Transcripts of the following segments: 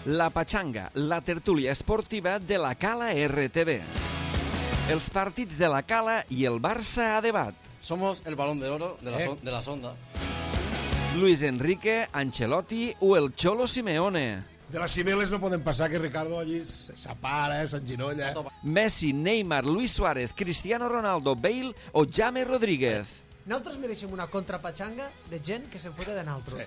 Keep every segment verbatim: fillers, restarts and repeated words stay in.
La Pachanga, la tertúlia esportiva de la Cala R T V. Els partits de la Cala i el Barça a debat. Somos el balón de oro de, la Eh. son- de las ondas. Luis Enrique, Ancelotti o el Cholo Simeone. De les cimeles no poden passar que Ricardo allí s'apara, eh, s'enginolla. Messi, Neymar, Luis Suárez, Cristiano Ronaldo, Bale o James Rodríguez. Nosaltres mereixem una contrapatxanga de gent que se'n fota de naltro. Sí.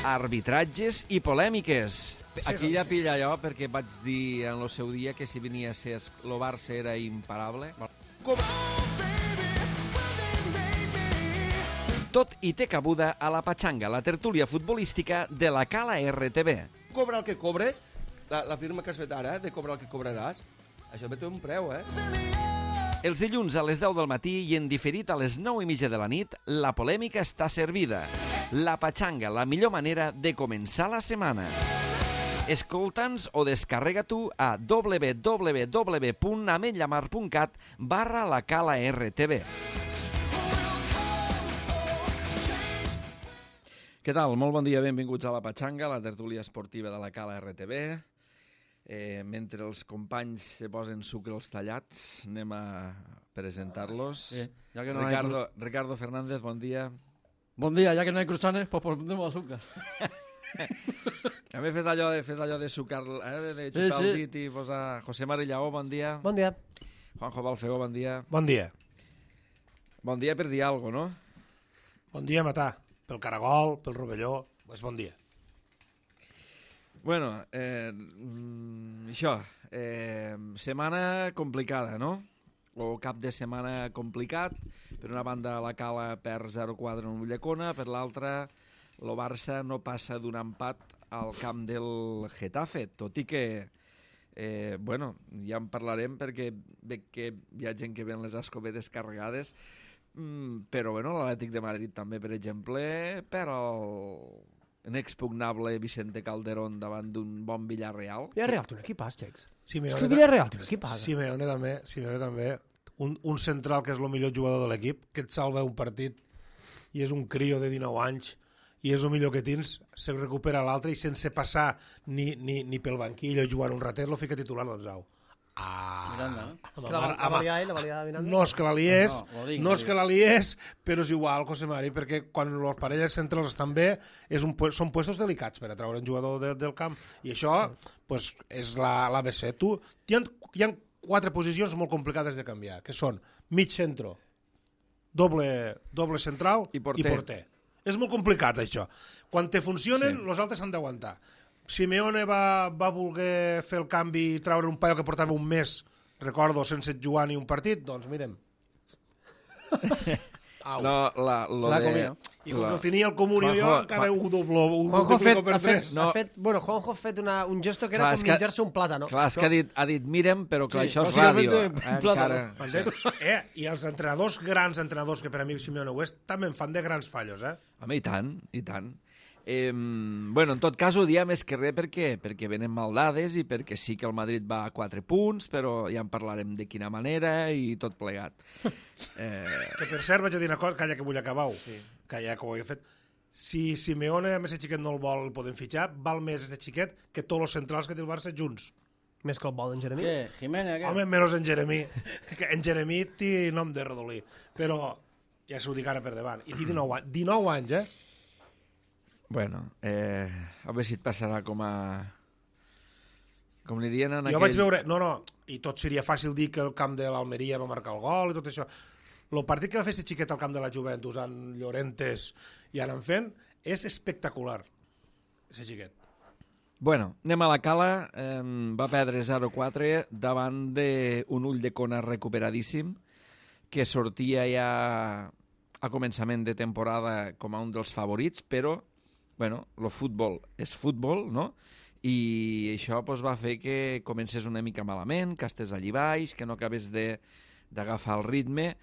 Arbitratges i polèmiques. Aquí ja pilla allò perquè vaig dir en el seu dia que si venia a ser el Barça era imparable. Tot i té cabuda a la Pachanga, la tertúlia futbolística de la Cala R T V. Cobra el que cobres, la, la firma que has fet ara, de cobrar el que cobraràs, això també té un preu, eh? Els dilluns a les deu del matí i en diferit a les nou i mitja de la nit, la polèmica està servida. La Pachanga, la millor manera de començar la setmana. Escolta'ns o descarrega-t'ho a w w w punt ametlllamar punt cat barra la Cala R T V. Què tal? Molt bon dia, benvinguts a la Pachanga, la tertúlia esportiva de la Cala R T V. Eh, mentre els companys se posen sucre als tallats, anem a presentar-los. Sí, ya que no hay Ricardo, Ricardo Fernández, bon dia. Buen día, ya que no hay cruzanes, pues pondremos azúcar. També fes allò de, fes allò de sucar, eh, de xutar Sí, sí. el dit i posar... José Marillaó, bon dia. Bon dia. Juanjo Balfegó, bon dia. Bon dia. Bon dia per dir alguna cosa, no? Bon dia, Matà. Pel Caragol, pel Rovelló, pues bon dia. Bueno, eh, mm, això, eh, setmana complicada, no? O cap de setmana complicat. Per una banda, la Cala perd zero quatre en Ulldecona, per l'altra, el Barça no passa d'un empat al camp del Getafe, tot i que, eh, bueno, ja en parlarem perquè veig que hi ha gent que ven les escopetes carregades, mm, però bueno, l'Atlètic de Madrid també, per exemple, però inexpugnable Vicente Calderón davant d'un bon Villarreal. Villarreal té un equipàs, Xecs. Simeone, És que Villarreal té un equipàs. Simeone també, Simeone també. Un, un central que és el millor jugador de l'equip, que et salva un partit i és un crio de dinou anys i és el millor que tens, se recupera l'altre i sense passar ni, ni, ni pel banquill o jugant un ratet, lo fica titular, doncs au. Ah, Miranda, eh? amb Que la, el- la amb- valia ell, la valia Miranda. no és que la liés, No, ho dic, no ho és dic. que la liés, però és igual, José Mari, perquè quan les parelles centrals estan bé, és un, pu- són puestos delicats per a treure un jugador de, del camp, i això pues, és l'A B C. Tu, hi ha, hi ha quatre posicions molt complicades de canviar, que són mig centro, doble, doble central I porter. i porter. És molt complicat, això. Quan te funcionen, sí. Els altres s'han d'aguantar. Simeone va, va voler fer el canvi i treure un paio que portava un mes, recordo, sense jugar ni un partit, doncs mirem. Au. No, la, lo La de... comida. I com la- que el tenia el comunió jo, Juanjo, encara ho doblo, ho Juanjo ha fet, multiplico per ha fet, tres. No. ha fet, bueno, Juanjo ha fet una, un gesto que era Clar, com és que- menjar-se un plàtano. Clar, és que ha dit, ha dit mirem, però clar, Sí, això és bàsicament, ràdio. un Eh, plàtano. encara... M'entens? Eh, I els entrenadors, grans entrenadors, que per a mi Simeone ho és, també en fan de grans fallos, eh? Home, i tant, i tant. Eh, bueno, en tot cas ho diem més que res perquè, perquè venen mal dades i perquè sí que el Madrid va a quatre punts, però ja en parlarem de quina manera i tot plegat. Eh, Que per cert vaig a dir una cosa, calla que vull acabar-ho, sí. Calla que ho he fet. Si Simeone, a més de xiquet no el vol, el podem fitxar, val més este xiquet que tots els centrals que té el Barça junts. Més que el vol d'en Jeremí. ¿Qué? Jiménez, ¿qué? Home, menys en Jeremí, que en Jeremí té nom de rodolí, però ja s'ho dic ara per davant. I té dinou anys, dinou anys, eh? bueno, eh, a veure si et passarà com a... Com li diuen en Jo aquell... vaig veure... No, no, i tot seria fàcil dir que el camp de l'Almeria va marcar el gol i tot això. El partit que va fer aquest xiquet al camp de la Juventus amb Llorentes i anant fent és espectacular, aquest xiquet. Bueno, anem a la Cala. Eh, va perdre zero quatre davant d'un Ulldecona recuperadíssim que sortia ja a començament de temporada com a un dels favorits, però bueno, el futbol és futbol, no? I això pues, va fer que comencés una mica malament, que estés allí baix, que no acabés d'agafar el ritme,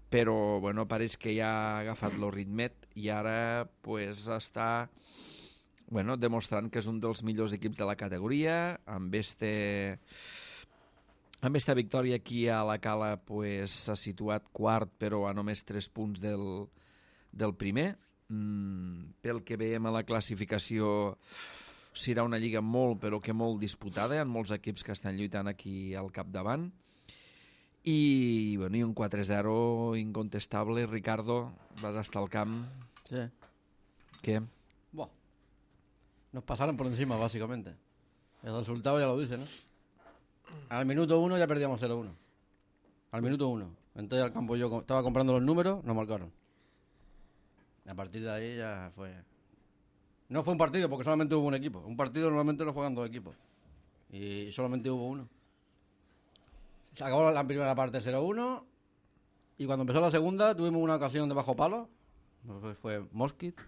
però bueno, pareix que ja ha agafat el ritmet i ara pues, està bueno, demostrant que és un dels millors equips de la categoria, amb este... Amb esta victòria aquí a la Cala s'ha pues, situat quart, però a només tres punts del, del primer. Mm, pel que veiem a la classificació, serà una lliga molt, però que molt disputada, hi ha molts equips que estan lluitant aquí al capdavant, i, bueno, i un quatre zero incontestable. Ricardo, vas estar al camp. Sí. ¿Qué? Buah. Nos pasaron por encima, básicamente. El resultado ya lo dice, ¿no? Al minuto uno ya perdíamos cero uno. Al minuto uno. Entré al campo yo, estaba comprando los números, nos marcaron. Y a partir de ahí ya fue... No fue un partido, porque solamente hubo un equipo. Un partido normalmente lo juegan dos equipos. Y solamente hubo uno. Se acabó la primera parte cero uno. Y cuando empezó la segunda, tuvimos una ocasión de bajo palo. Fue, fue Mosquit.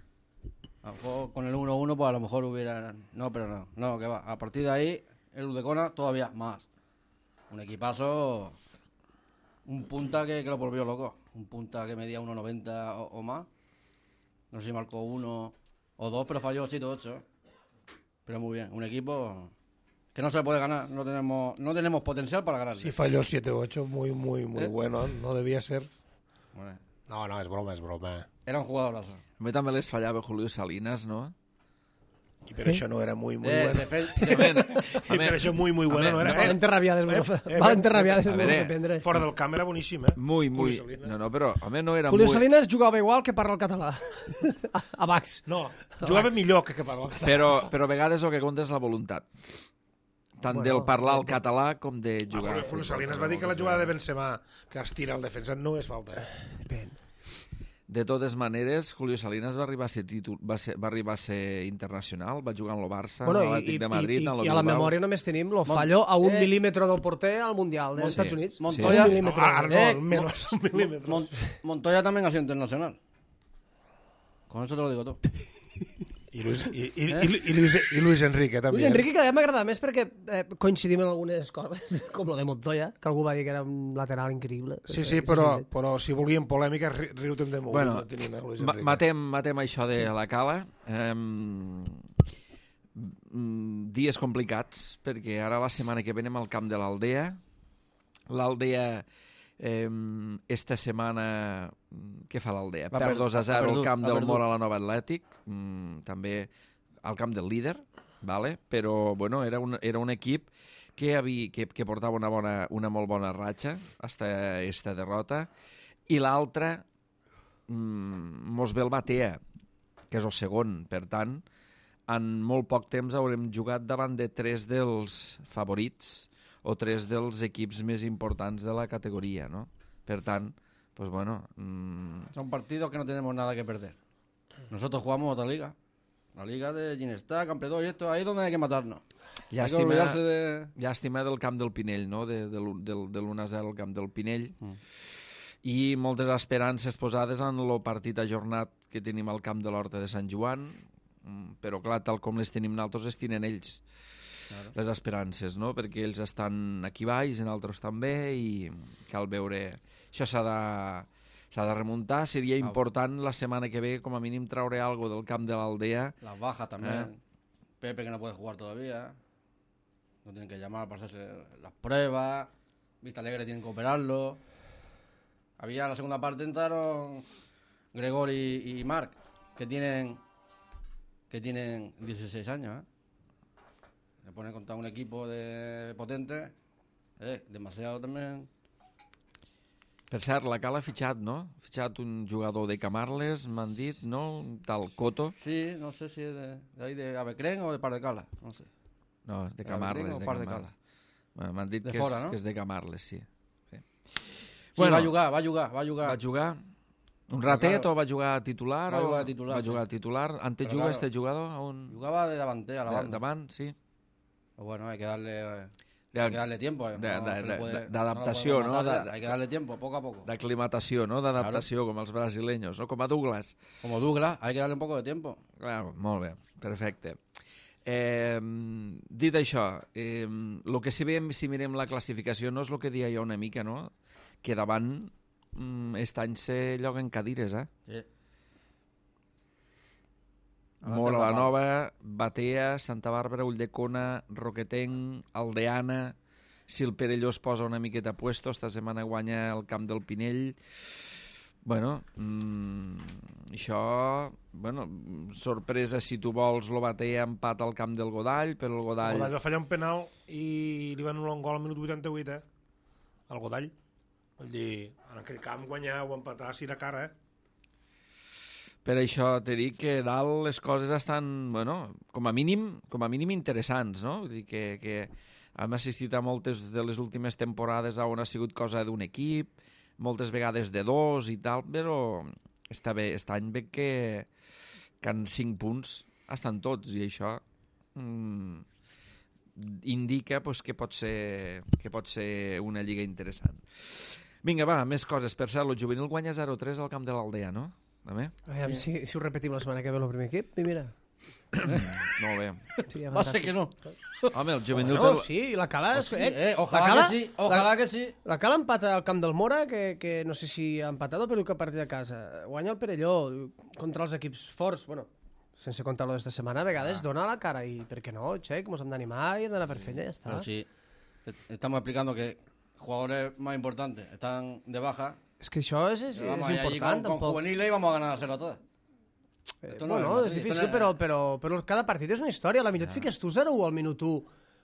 A lo mejor con el uno uno, pues a lo mejor hubiera... No, pero no. No, que va. A partir de ahí, el Udecona todavía más. Un equipazo... Un punta que, que lo volvió loco. Un punta que medía uno noventa o, o más. No sé si marcó uno o dos, pero falló siete ocho. Pero muy bien. Un equipo que no se puede ganar. No tenemos no tenemos potencial para ganar. Sí, falló siete ocho. Muy, muy, muy ¿Eh? bueno. No debía ser. Bueno, No, no, és broma, és broma. era un jugadorazo. A mi també les fallava Julio Salinas, no? I per això no era muy, muy De, bueno. de fe- de fe- I per això muy, muy bueno no era. Eh, Valente rabiades, eh, eh, Valente eh, rabiades, a molt veure, que prendre. Fora del camp era boníssim, eh? Muy, muy... Julio Salinas. No, no, però, home, no era Julio muy... Salinas jugava igual que parla el català. A Bax. No, jugava millor que que parla. Però, però a vegades el que compta és la voluntat. Tant Bueno, del parlar el bueno. català com de jugar. Julio, Julio Salinas va dir que la jugada de Benzema que es tira al defensa no és falta, eh? Depèn. De totes maneres, Julio Salinas va arribar a ser, títol, va ser, va arribar a ser internacional, va jugar en el Barça, Bueno, en i, l'Atlètic de Madrid, i, en i, el i a la Bilbao. memòria només tenim el fallo a un Eh. mil·límetre del porter al Mundial dels Sí. Estats Units. Montoya- Un No, mil·límetre. Arnold, Eh, menos un milímetro. Mon- Montoya también ha sido internacional. Con eso te lo digo todo. I Luis, i, i, i, i, Luis, i Luis Enrique, també. Luis Enrique cada dia m'agrada més perquè eh, coincidim en algunes coses, com lo de Montoya, que algú va dir que era un lateral increïble. Sí, sí, però, però si volíem polèmica, ri- riu-te'n de molt. Bueno, no tenint a Luis ma- Enrique. matem, matem això de la cala. Um, dies complicats, perquè ara la setmana que ve anem al camp de l'Aldea. L'Aldea, eh, esta setmana, què fa l'Aldea? Va Perd per- dos a ha zero al perdut, camp ha del perdut. Mora a la Nova Atlètic, mm, també al camp del líder, vale? Però bueno, era, un, era un equip que, havia, que, que portava una, bona, una molt bona ratxa hasta esta derrota, i l'altra mm, mos ve el Batea, que és el segon. Per tant, en molt poc temps haurem jugat davant de tres dels favorits o tres dels equips més importants de la categoria, no? Per tant, pues bueno... Mmm, Son partidos que no tenemos nada que perder. Nosotros jugamos otra liga. La liga de Ginestá, Campeador y esto, ahí es donde hay que matarnos. Hay que llàstima, olvidarse de... llàstima del camp del Pinell, no? De, de, l'u- del, de l'u a zero al camp del Pinell. Mm. I moltes esperances posades en el partit ajornat que tenim al camp de l'Horta de Sant Joan, mm, però clar, tal com les tenim nosaltres, les tenen ells. Claro. Les esperances, no? Perquè ells estan aquí baix, en altres també, i cal veure... Això s'ha de, s'ha de remuntar. Seria important la setmana que ve, com a mínim, traure algo del camp de l'Aldea. Las bajas también. Eh. Pepe que no puede jugar todavía. No tienen que llamar para hacerse las pruebas. Vista Alegre tienen que operarlo. Había la segunda parte entraron Gregor y, y Marc, que tienen que tienen dieciséis años, ¿eh? Le ponen contra un equipo de potente, eh, demasiado también. Per cert, la Cala ha fitxat, no? Ha fitxat un jugador de Camarles, m'han dit, no? Un tal Coto. Sí, no sé si es de, de ahí de Avecren o de Par de Cala, no sé. No, de De Camarles, Avelino o de Par de Camarles. Cala? Bueno, m'han dit De que, fora, és, no? que és de Camarles, sí. sí. Sí, va a jugar, va a jugar, va a jugar. Va jugar un ratet claro, o va jugar titular? va o... jugar titular, Va sí. jugar titular. Antes Pero juga claro, este jugador a un... Jugaba de davante a la de, banda. davant, sí. Pues bueno, hay que darle, eh, De- hay que darle tiempo. eh. de- No de- se le de- puede- de- no lo d'adaptació, podemos no? matar De- ya. Hay que darle tiempo, poco a poco. D'aclimatació, no? D'adaptació, com els brasileños, no? Com a Douglas. Como Douglas, hay que darle un poco de tiempo. Claro, molt bé, perfecte. Eh, dit això, eh, el que si veiem, si mirem la classificació, no és el que deia jo una mica, no? Que davant mm, aquest any se lloguen cadires, eh? Sí. Mora la Nova, Batea, Santa Bàrbara, Ulldecona, Roquetenc, Aldeana. Si el Perelló es posa una miqueta a puesto, esta setmana guanya el camp del Pinell. Bueno, mm, això... Bueno, sorpresa, si tu vols, lo batea empat al camp del Godall, però el Godall... El Godall va fallar un penal i li van anul·lar un gol al minut vuitanta-vuit, eh? El Godall. Vull dir, en aquell camp guanyar o empatar si era cara, eh? Per això t'he dit que dalt les coses estan, bueno, com a mínim, com a mínim interessants, no? Vull dir que, que hem assistit a moltes de les últimes temporades on ha sigut cosa d'un equip, moltes vegades de dos i tal, però està bé, aquest any veig que, que en cinc punts estan tots i això mm, indica pues, que, pot ser, que pot ser una lliga interessant. Vinga, va, més coses. Per cert, el juvenil guanya zero tres al camp de l'Aldea, no? També? Aviam, si, si ho repetim la setmana que ve el primer equip, i mira. Molt bé. Seria Va ser que no. Home, el juvenil... Bueno, pel- sí, i la Cala... Oh, sí, eh, eh, ojalà la Cala, que sí, ojalà la, que sí. La Cala empata al camp del Mora, que, que no sé si ha empatat o perdut que partit a casa. Guanya el Perelló contra els equips forts. Bueno, sense contar-lo d'esta setmana, a vegades ah. dona la cara i, per què no, Xec, mos hem d'animar i hem d'anar per feina, ja està. Pero sí, estamos explicando que jugadores más importantes están de baja. És que això és, és, Vamos és allí important, con, con tampoc. juveniles y vamos a ganar a cero todas. Eh, Esto no bueno, es és Madrid, difícil, esto no es- però, però, però cada partit és una història. A la minut fiques tu zero u al minut u,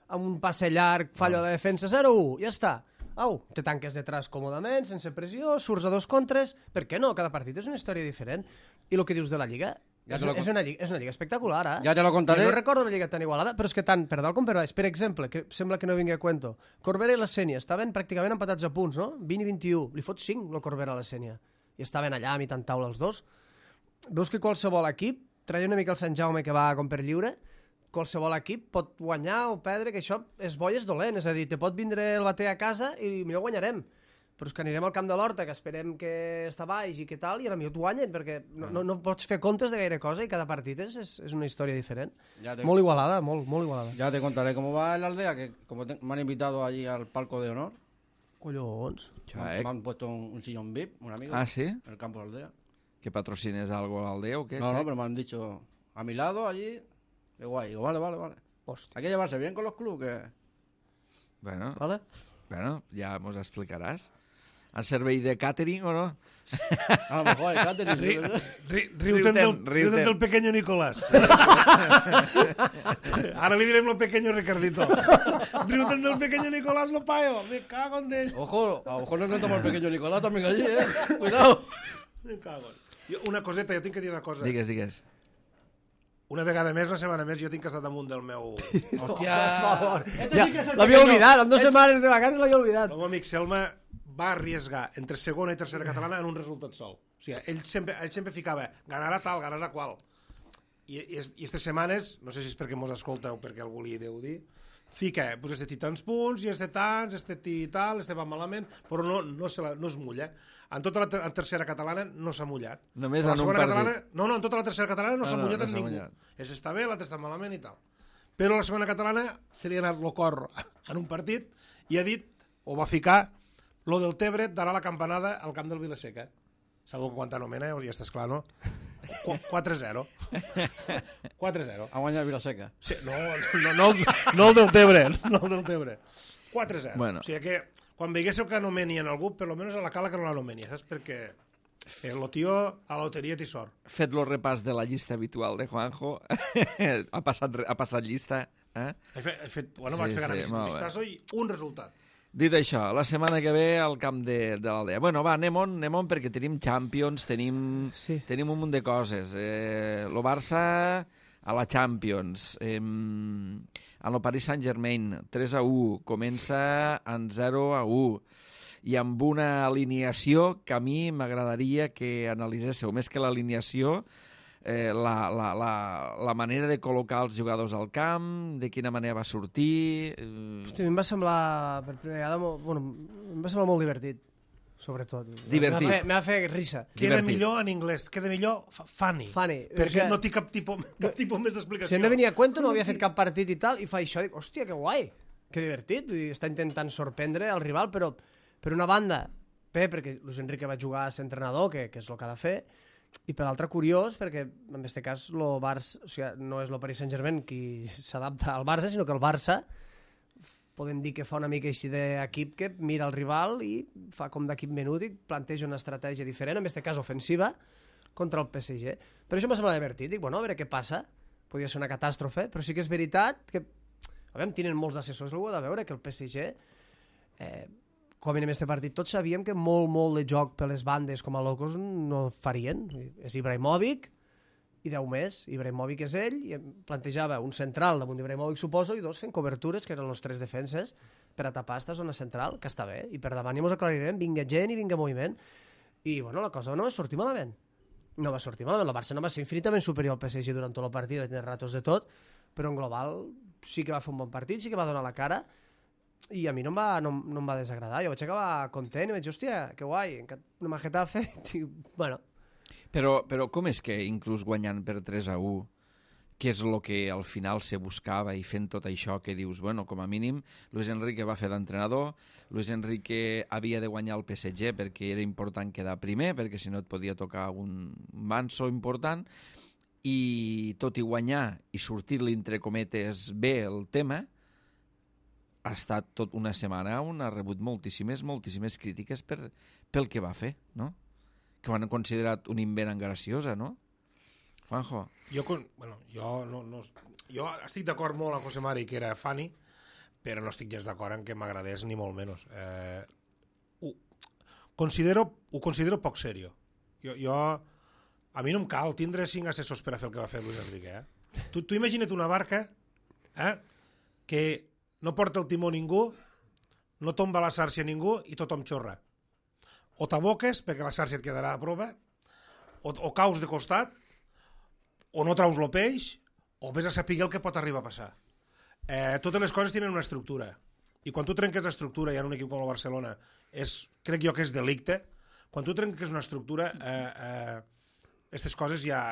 amb un passe llarg, falla la defensa zero u, ja està. Au, te tanques detrás còmodament, sense pressió, surts a dos contres... Per què no? Cada partit és una història diferent. I el que dius de la Lliga, Ja és, te lo és, una lliga és una lliga espectacular, eh? Ya te lo contaré. Jo no recordo una lliga tan igualada, però és que tant per dalt com per baix. Per exemple, que sembla que no vingui a cuento, Corbera i la Sénia estaven pràcticament empatats a punts, no? vint i vint i u. Li fot cinc, el Corbera a la Sénia. I estaven allà a mitjan taula els dos. Veus que qualsevol equip, traia una mica el Sant Jaume que va com per lliure, qualsevol equip pot guanyar o perdre, que això és bo i és dolent. És a dir, te pot vindre el bater a casa i millor guanyarem. Però és que anirem al camp de l'Horta, que esperem que està baix i que tal, i a la millor et guanyen, perquè no, no, no pots fer comptes de gaire cosa i cada partit és, és, és una història diferent. Ya te, Molt igualada, molt, molt igualada. ya te contaré cómo va en la aldea, que como te- me han invitado allí al palco de honor, Collons. me, han- me han puesto un, un sillón V I P, un amigo, Ah, sí? en el campo de la aldea. Que patrocines algo a l'Aldea o què? No, no, Xac? pero me han dicho a mi lado allí, qué guay. Digo, vale, vale, vale. Hòstia. Hay que llevarse bien con los clubes, que... Bueno, Vale? bueno, ja mos explicaràs. En servei de càtering o no? A lo mejor hay catering, Ri, ¿sí, verdad? ri, riuten, del, Riuten, riuten. riuten del pequeño Nicolás. Ara li direm lo pequeño Ricardito. Riuten del pequeño Nicolás, lo payo. Me cago en él. Ojo, a lo mejor nos metemos al pequeño Nicolás también allí, ¿eh? Cuidado. Me cago en... Jo, una coseta, jo tinc que dir una cosa. Digues, digues. Una vegada més, una setmana més, jo tinc que estar damunt del meu... Hòstia. Ja, l'havia oblidat, amb dues setmanes de vacances l'havia oblidat. El meu amic Selma va arriesgar entre segona i tercera catalana en un resultat sol. O sigui, ell sempre, ell sempre ficava ganarà tal, ganarà qual. I, i, est- i aquestes setmanes, no sé si és perquè mos escolta o perquè algú li deu dir, fica, pues este té tants punts, i este tants, este té tal, este va malament, però no, no, se la, no es mulla. En tota la ter en tercera catalana no s'ha mullat. Només Però la en un segona partit. catalana, no, no, en tota la tercera catalana no Ah, s'ha no, mullat no amb s'ha ningú. mullat. És està bé, l'altre està malament i tal. Però la segona catalana se li ha anat el cor en un partit i ha dit, o va ficar, lo del Tebre darà la campanada al camp del Vilaseca. Sabeu quanta anomena, ja estàs clar, no? Qu quatre zero. quatre zero. A guanyar Vilaseca. Sí, no, no, no, no el del Tebre, no el del Tebre. quatre zero. Bueno. O sigui que quan veiéssiu que anomenien algú, per lo menos a la Cala que no l'anomenia, saps? Perquè el tio a la loteria té sort. Fet lo repàs de la llista habitual de Juanjo. ha, passat, re- ha passat llista. Eh? He fet, he fet bueno, Sí, vaig fer sí, sí, molt bé. vistazo i un resultat. Dit això, la setmana que ve al camp de, de l'Aldea. Bueno, va, anem on, anem on perquè tenim Champions, tenim, Sí. tenim un munt de coses. Eh, lo Barça a la Champions. Eh, en el Paris Saint-Germain, tres a u. Comença en zero a u. I amb una alineació que a mi m'agradaria que analiséssiu. Més que l'alineació, eh, la, la, la, la manera de col·locar els jugadors al camp, de quina manera va sortir... Eh, Hosti, a mi em va semblar, per primera vegada, molt, bueno, em va semblar molt divertit, sobretot. Divertit. M'ha fet, m'ha fet risa. Queda Divertit. millor en anglès, queda millor fa- funny. Funny. Perquè O sigui, no té cap tipus, cap tipus més d'explicació. Si no venia a cuento, no havia fet cap partit i tal, i fa això, dic, hòstia, que guai, que divertit. Vull dir, està intentant sorprendre el rival, però per una banda, bé, perquè Luis Enrique va jugar a ser entrenador, que, que és el que ha de fer, i per l'altre curiós, perquè en aquest cas lo Barça, o sigui, no és el Paris Saint-Germain qui s'adapta al Barça, sinó que el Barça podem dir que fa una mica així d'equip que mira el rival i fa com d'equip menut i planteja una estratègia diferent, en aquest cas ofensiva, contra el P S G. Per això m'ha semblat divertit. Dic, bueno, a veure què passa. Podria ser una catàstrofe, però sí que és veritat que, a veure, tenen molts assessors, ho ha de veure, que el P S G, eh, com en aquest partit, tots sabíem que molt, molt de joc per les bandes com a locos no farien. És Ibrahimovic i deu més. Ibrahimovic és ell, i plantejava un central damunt d'Ibrahimovic, suposo, i dos fent cobertures, que eren els tres defenses, per a tapar esta zona central, que està bé, i per davant ja mos aclarirem, vinga gent i vinga moviment. I, bueno, la cosa no va sortir malament. No va sortir malament. El Barça no va ser infinitament superior al P S G durant tot el partit, va tenir ratos de tot, però en global sí que va fer un bon partit, sí que va donar la cara, i a mi no em va, no, no em va desagradar. Jo vaig acabar content i vaig dir, hòstia, que guai, anem a Getafe. Bueno, Però, però com és que inclús guanyant per tres a u, que és el que al final se buscava, i fent tot això que dius, bueno, com a mínim, Luis Enrique va fer d'entrenador, Luis Enrique havia de guanyar el P S G perquè era important quedar primer, perquè si no et podia tocar un manso important, i tot i guanyar i sortir-li entre cometes bé el tema, ha estat tot una setmana on ha rebut moltíssimes, moltíssimes crítiques per, pel que va fer, no? Que ho han considerat un invent graciosa, no? Juanjo. Jo, con- bueno, jo, no, no, jo estic d'acord molt amb José Mari que era funny, però no estic gens d'acord en que m'agradés ni molt menys. Eh, ho, considero, ho considero poc serio. Jo, jo, a mi no em cal tindre cinc assessors per a fer el que va fer Luis Enrique. Eh? Tu, tu imagina't una barca eh, que no porta el timó ningú, no tomba la xarxa ningú i tothom xorra. O t'aboques perquè la xarxa et quedarà a prova, o, o caus de costat, o no traus el peix, o vés a saber el que pot arribar a passar. Eh, totes les coses tenen una estructura. I quan tu trenques l'estructura, i en un equip com el Barcelona, és, crec jo que és delicte, quan tu trenques una estructura, eh, aquestes eh, coses ja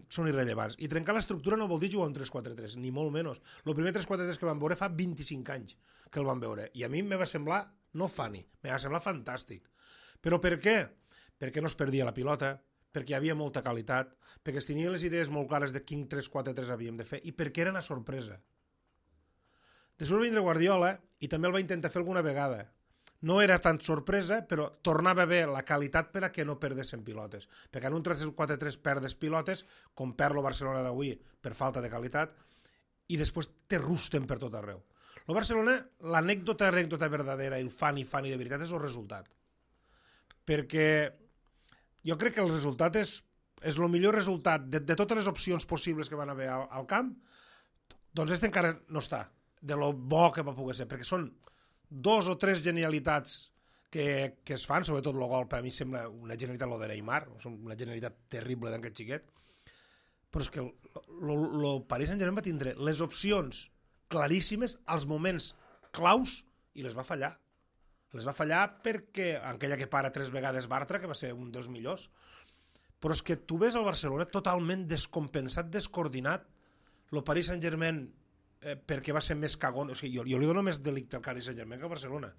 són irrellevants. I trencar l'estructura no vol dir jugar un tres quatre tres, ni molt menys. El primer tres quatre tres que vam veure fa vint-i-cinc anys que el vam veure. I a mi em va semblar, no funny, em va semblar fantàstic. Però per què? Perquè no es perdia la pilota, perquè hi havia molta qualitat, perquè es tenien les idees molt clares de quin tres quatre tres havíem de fer i perquè era una sorpresa. Després va vindre Guardiola i també el va intentar fer alguna vegada. No era tan sorpresa, però tornava bé la qualitat per a que no perdessin pilotes. Perquè en un tres quatre tres perdes pilotes, com perd el Barcelona d'avui per falta de qualitat, i després te rusten per tot arreu. El Barcelona, l'anècdota, anècdota verdadera, el funny, funny de veritat és el resultat. Perquè jo crec que el resultat és, és el millor resultat de, de totes les opcions possibles que van haver al, al camp, doncs este encara no està, de lo bo que va poder ser, perquè són dos o tres genialitats que, que es fan, sobretot el gol, per a mi sembla una genialitat lo de Neymar, una genialitat terrible d'aquest xiquet, però és que el, el, el Paris Saint-Germain va tindre les opcions claríssimes als moments claus i les va fallar. Les va fallar perquè aquella que para tres vegades Bartra, que va ser un dels millors, però és que tu ves el Barcelona totalment descompensat, descoordinat, el Paris Saint-Germain eh, perquè va ser més cagón, o sigui, jo, jo li dono més delicte al Paris Saint-Germain que al Barcelona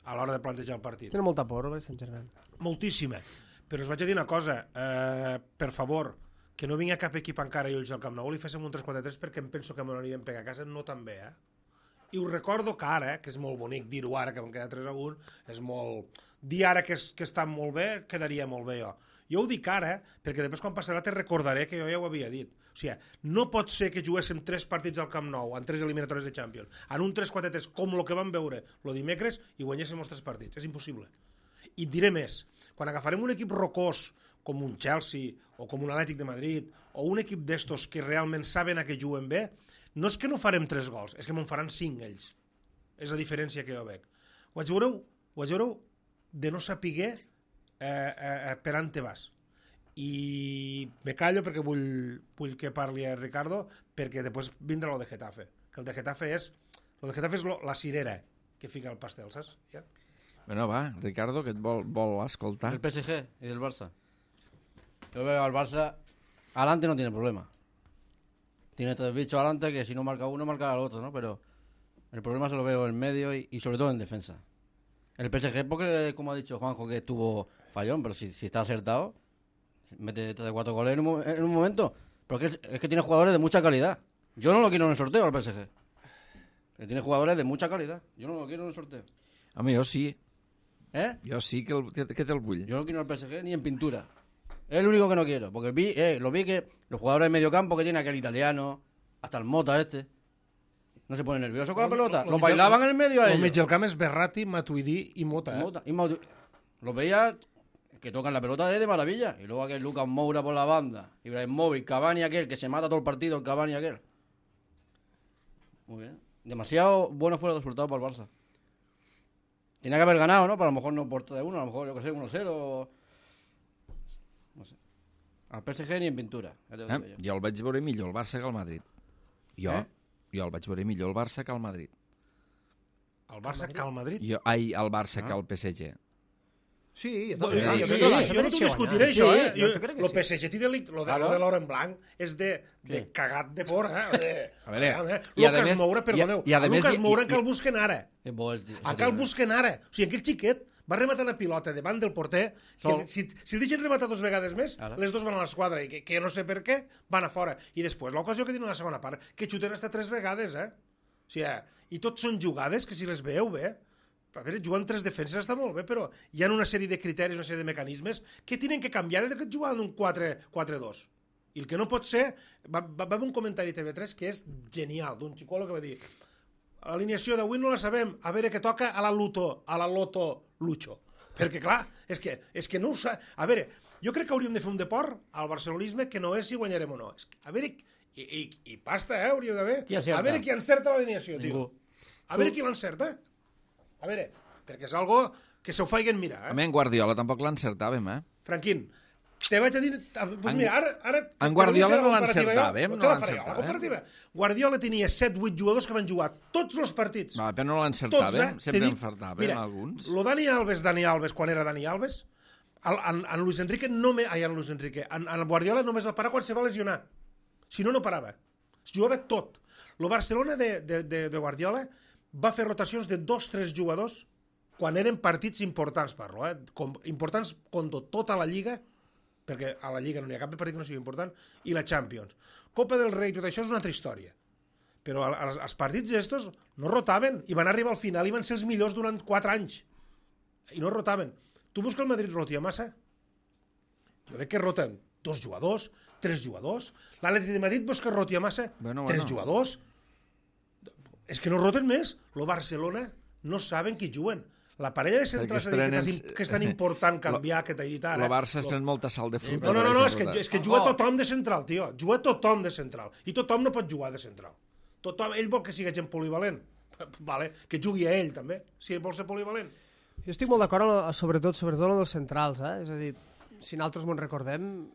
a l'hora de plantejar el partit. tenen molta por, el Saint-Germain. Moltíssima, però us vaig a dir una cosa, eh, per favor, que no vingui cap equip encara i ulls al Camp Nou i li féssim un tres quatre tres perquè em penso que me n'anirem a pegar a casa, no tan bé, eh? I us recordo que ara, que és molt bonic dir-ho ara, que vam quedar tres a un, és molt... Dir ara que, és, que està molt bé, quedaria molt bé jo. Jo ho dic ara, perquè després quan passarà te recordaré que jo ja ho havia dit. O sigui, no pot ser que juguéssim tres partits al Camp Nou, en tres eliminatòries de Champions, en un tres quatre tres, com el que vam veure el dimecres, i guanyéssim els tres partits. És impossible. I et diré més, quan agafarem un equip rocós, com un Chelsea, o com un Atlètic de Madrid, o un equip d'estos que realment saben a què juguen bé, no és que no farem tres gols, és que me'n faran cinc ells. És la diferència que jo veig. Ho vaig veure, ho vaig veure de no saber eh, eh, per on te vas. I me callo perquè vull, vull que parli a Ricardo, perquè després vindrà lo de Getafe. Que el de Getafe és, lo de Getafe és lo, la cirera que fica el pastel, saps? Ja? Bueno, va, Ricardo, que et vol, vol escoltar. Del P S G y del Barça. Yo veo al Barça, adelante no tiene problema. Tiene tres bichos adelante que si no marca uno, marca al otro, ¿no? Pero el problema se lo veo en medio y, y sobre todo en defensa. El P S G, porque, como ha dicho Juanjo, que estuvo fallón, pero si, si está acertado, mete tres o cuatro goles en un, en un momento. Porque es, es que tiene jugadores de mucha calidad. Yo no lo quiero en el sorteo al P S G. Que tiene jugadores de mucha calidad. Yo no lo quiero en el sorteo. Home, jo sí. ¿Eh? Jo sí que, el, que, que te'l vull. Yo no quiero el P S G ni en pintura. Es el único que no quiero. Porque vi, eh, lo vi que los jugadores de medio campo que tiene aquel italiano, hasta el Mota este, no se pone nervioso con la pelota. Los bailaban en el medio a El ellos. mig del camp és Berratti, Matuidi i Mota, eh? Mota. Y Mauti- Los veía que tocan la pelota de, de maravilla. Y luego aquel Lucas Moura por la banda. Ibrahimovic, Cavani aquel, que se mata todo el partido, el Cavani aquel. Muy bien. Demasiado bueno fue el resultado para el Barça. Tenía que haber ganado, ¿no? Pero a lo mejor no por de uno, a lo mejor, yo que sé, uno cero. No sé. Al P S G ni en pintura. Ja t'ho Eh? dic jo. Jo el vaig veure millor el Barça que el Madrid. Jo, Eh? jo el vaig veure millor el Barça que el Madrid. El Barça cal Madrid. Jo, ai, el Barça Ah. que el P S G. Sí, jo No, també. jo, jo jo, crec jo, que el Barça jo no t'ho mereixia discutiré, guanyar. això, Sí, eh? jo Jo, crec que lo sí. P S G té delicte, lo de, Claro. lo de l'or en blanc és de, de Sí. cagat de fora, eh? De, A veure, eh? i a Lucas més- Moura, perdoneu, i a- i a a més- Lucas i- Moura i- encara el busquen ara. És bo el tio. Encara el busquen ara. O sigui, aquell xiquet va rematar una pilota davant del porter, Sol. que si, si el deixen rematar dos vegades més, Ara. les dos van a l'esquadra, i que, que no sé per què, van a fora. I després, l'ocasió que tenen a la segona part, que xuten hasta tres vegades, eh? O sigui, eh, i tots són jugades que si les veieu bé, a veure, jugar en tres defenses està molt bé, però hi ha una sèrie de criteris, una sèrie de mecanismes que tenen que canviar des que juguen un quatre dos. I el que no pot ser... Va, va, va haver un comentari a T V tres que és genial, d'un xicolo que va dir l'alineació d'avui no la sabem, a veure què toca a la Luto, a la Loto Lucho. Perquè, clar, és que, és que no ho sa... A veure, jo crec que hauríem de fer un deport al barcelonisme que no és si guanyarem o no. És que, a veure, i, i, i pasta, eh, hauríeu d'haver. Qui acerta? A veure qui encerta l'alineació, tio. Ningú. A veure qui l'encerta. A veure, perquè és algo que se ho faiguen mirar, A eh? mi en Guardiola tampoc l'encertàvem, eh? Franquín, te vaig a dir... Doncs En- mira, ara... ara en te Guardiola volia fer la no comparativa jo. l'encertàvem, No no te la faré jo, l'encertàvem. la comparativa. Guardiola tenia set vuit jugadors que van jugar tots els partits. Va, però no Tots, l'encertàvem, eh? sempre T'he dit, encertàvem mira, alguns. lo Dani Alves, Dani Alves, quan era Dani Alves, el, en, en Luis Enrique no me... Ai, en Luis Enrique. En, en Guardiola només va parar quan se va lesionar. Si no, no parava. Es jugava tot. Lo Barcelona de, de, de, de Guardiola va fer rotacions de dos, tres jugadors quan eren partits importants, parlo, eh? Com, importants contra tota la Lliga, perquè a la Lliga no n'hi ha cap partit que no sigui important, i la Champions. Copa del Rei, tot això és una altra història. Però els, els partits estos no rotaven i van arribar al final i van ser els millors durant quatre anys. I no rotaven. Tu veus que el Madrid rotia massa? Jo veig que roten dos jugadors, tres jugadors. L'Atlètic de Madrid veus que rotia massa? Bueno, tres bueno. jugadors. És que no roten més. Lo Barcelona no saben qui juguen. La parella de centrals Perquè es que, és, prenen- que és tan important canviar, que t'he dit ara. El Barça es Lo- pren molta sal de fruita. no, no, no, no, és que, Barcelona. és que juga tothom de central, tio. Juga tothom de central. I tothom no pot jugar de central. Tothom, ell vol que sigui gent polivalent. Vale, que jugui a ell, també, si vol ser polivalent. Jo estic molt d'acord, amb- sobretot, sobretot amb els centrals, eh? És a dir, si nosaltres mos recordem,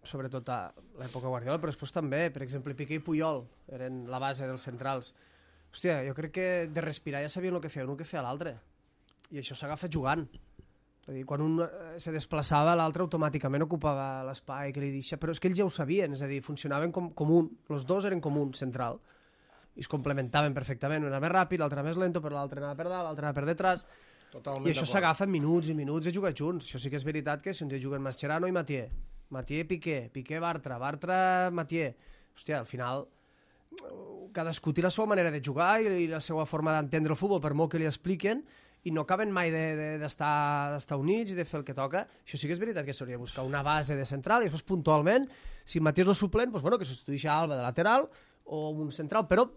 sobretot a l'època Guardiola, però després també, per exemple, Piqué i Puyol eren la base dels centrals. Hòstia, jo crec que de respirar ja sabien el que feia un, el que feia l'altre. I això s'agafa jugant. És a dir, quan un eh, se desplaçava, l'altre automàticament ocupava l'espai que li deixa, però és que ells ja ho sabien, és a dir, funcionaven com, com un, els dos eren com un central, i es complementaven perfectament, un era més ràpid, l'altre més lento, però l'altre anava per dalt, l'altre anava per detrás, Totalment i això d'acord. s'agafa en minuts i minuts de jugar junts. Això sí que és veritat que si un dia juguen Mascherano i Mathieu, Mathieu Piqué, Piqué Bartra, Bartra Mathieu, hòstia, al final cadascú té la seva manera de jugar i, i la seva forma d'entendre el futbol, per molt que li expliquen, i no acaben mai d'estar de, de, units i de fer el que toca. Això sí que és veritat que s'hauria de buscar una base de central i després puntualment, si Mathieu és el suplent, doncs, bueno, que substitueixi a Alba de lateral o un central, però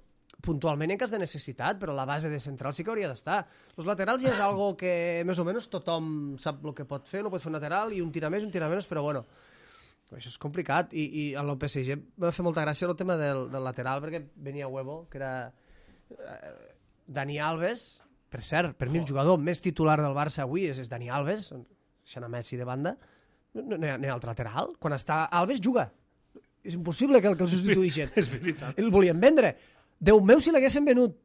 puntualment en cas de necessitat, però la base de central sí que hauria d'estar. Els laterals ja és algo que més o menys tothom sap el que pot fer, no pot fer un lateral i un tira més, un tira menys, però bueno, això és complicat. I, i a l'O P S G va fer molta gràcia el tema del, del lateral, perquè venia Huevo, que era eh, Dani Alves, per cert, per mi el jugador més titular del Barça avui és, és Dani Alves, deixant a Messi de banda, no, no, hi ha, no hi ha altre lateral. Quan està Alves, juga. És impossible que el, que el substituïxen. És veritat. El volien vendre. Déu meu, si l'haguessin venut.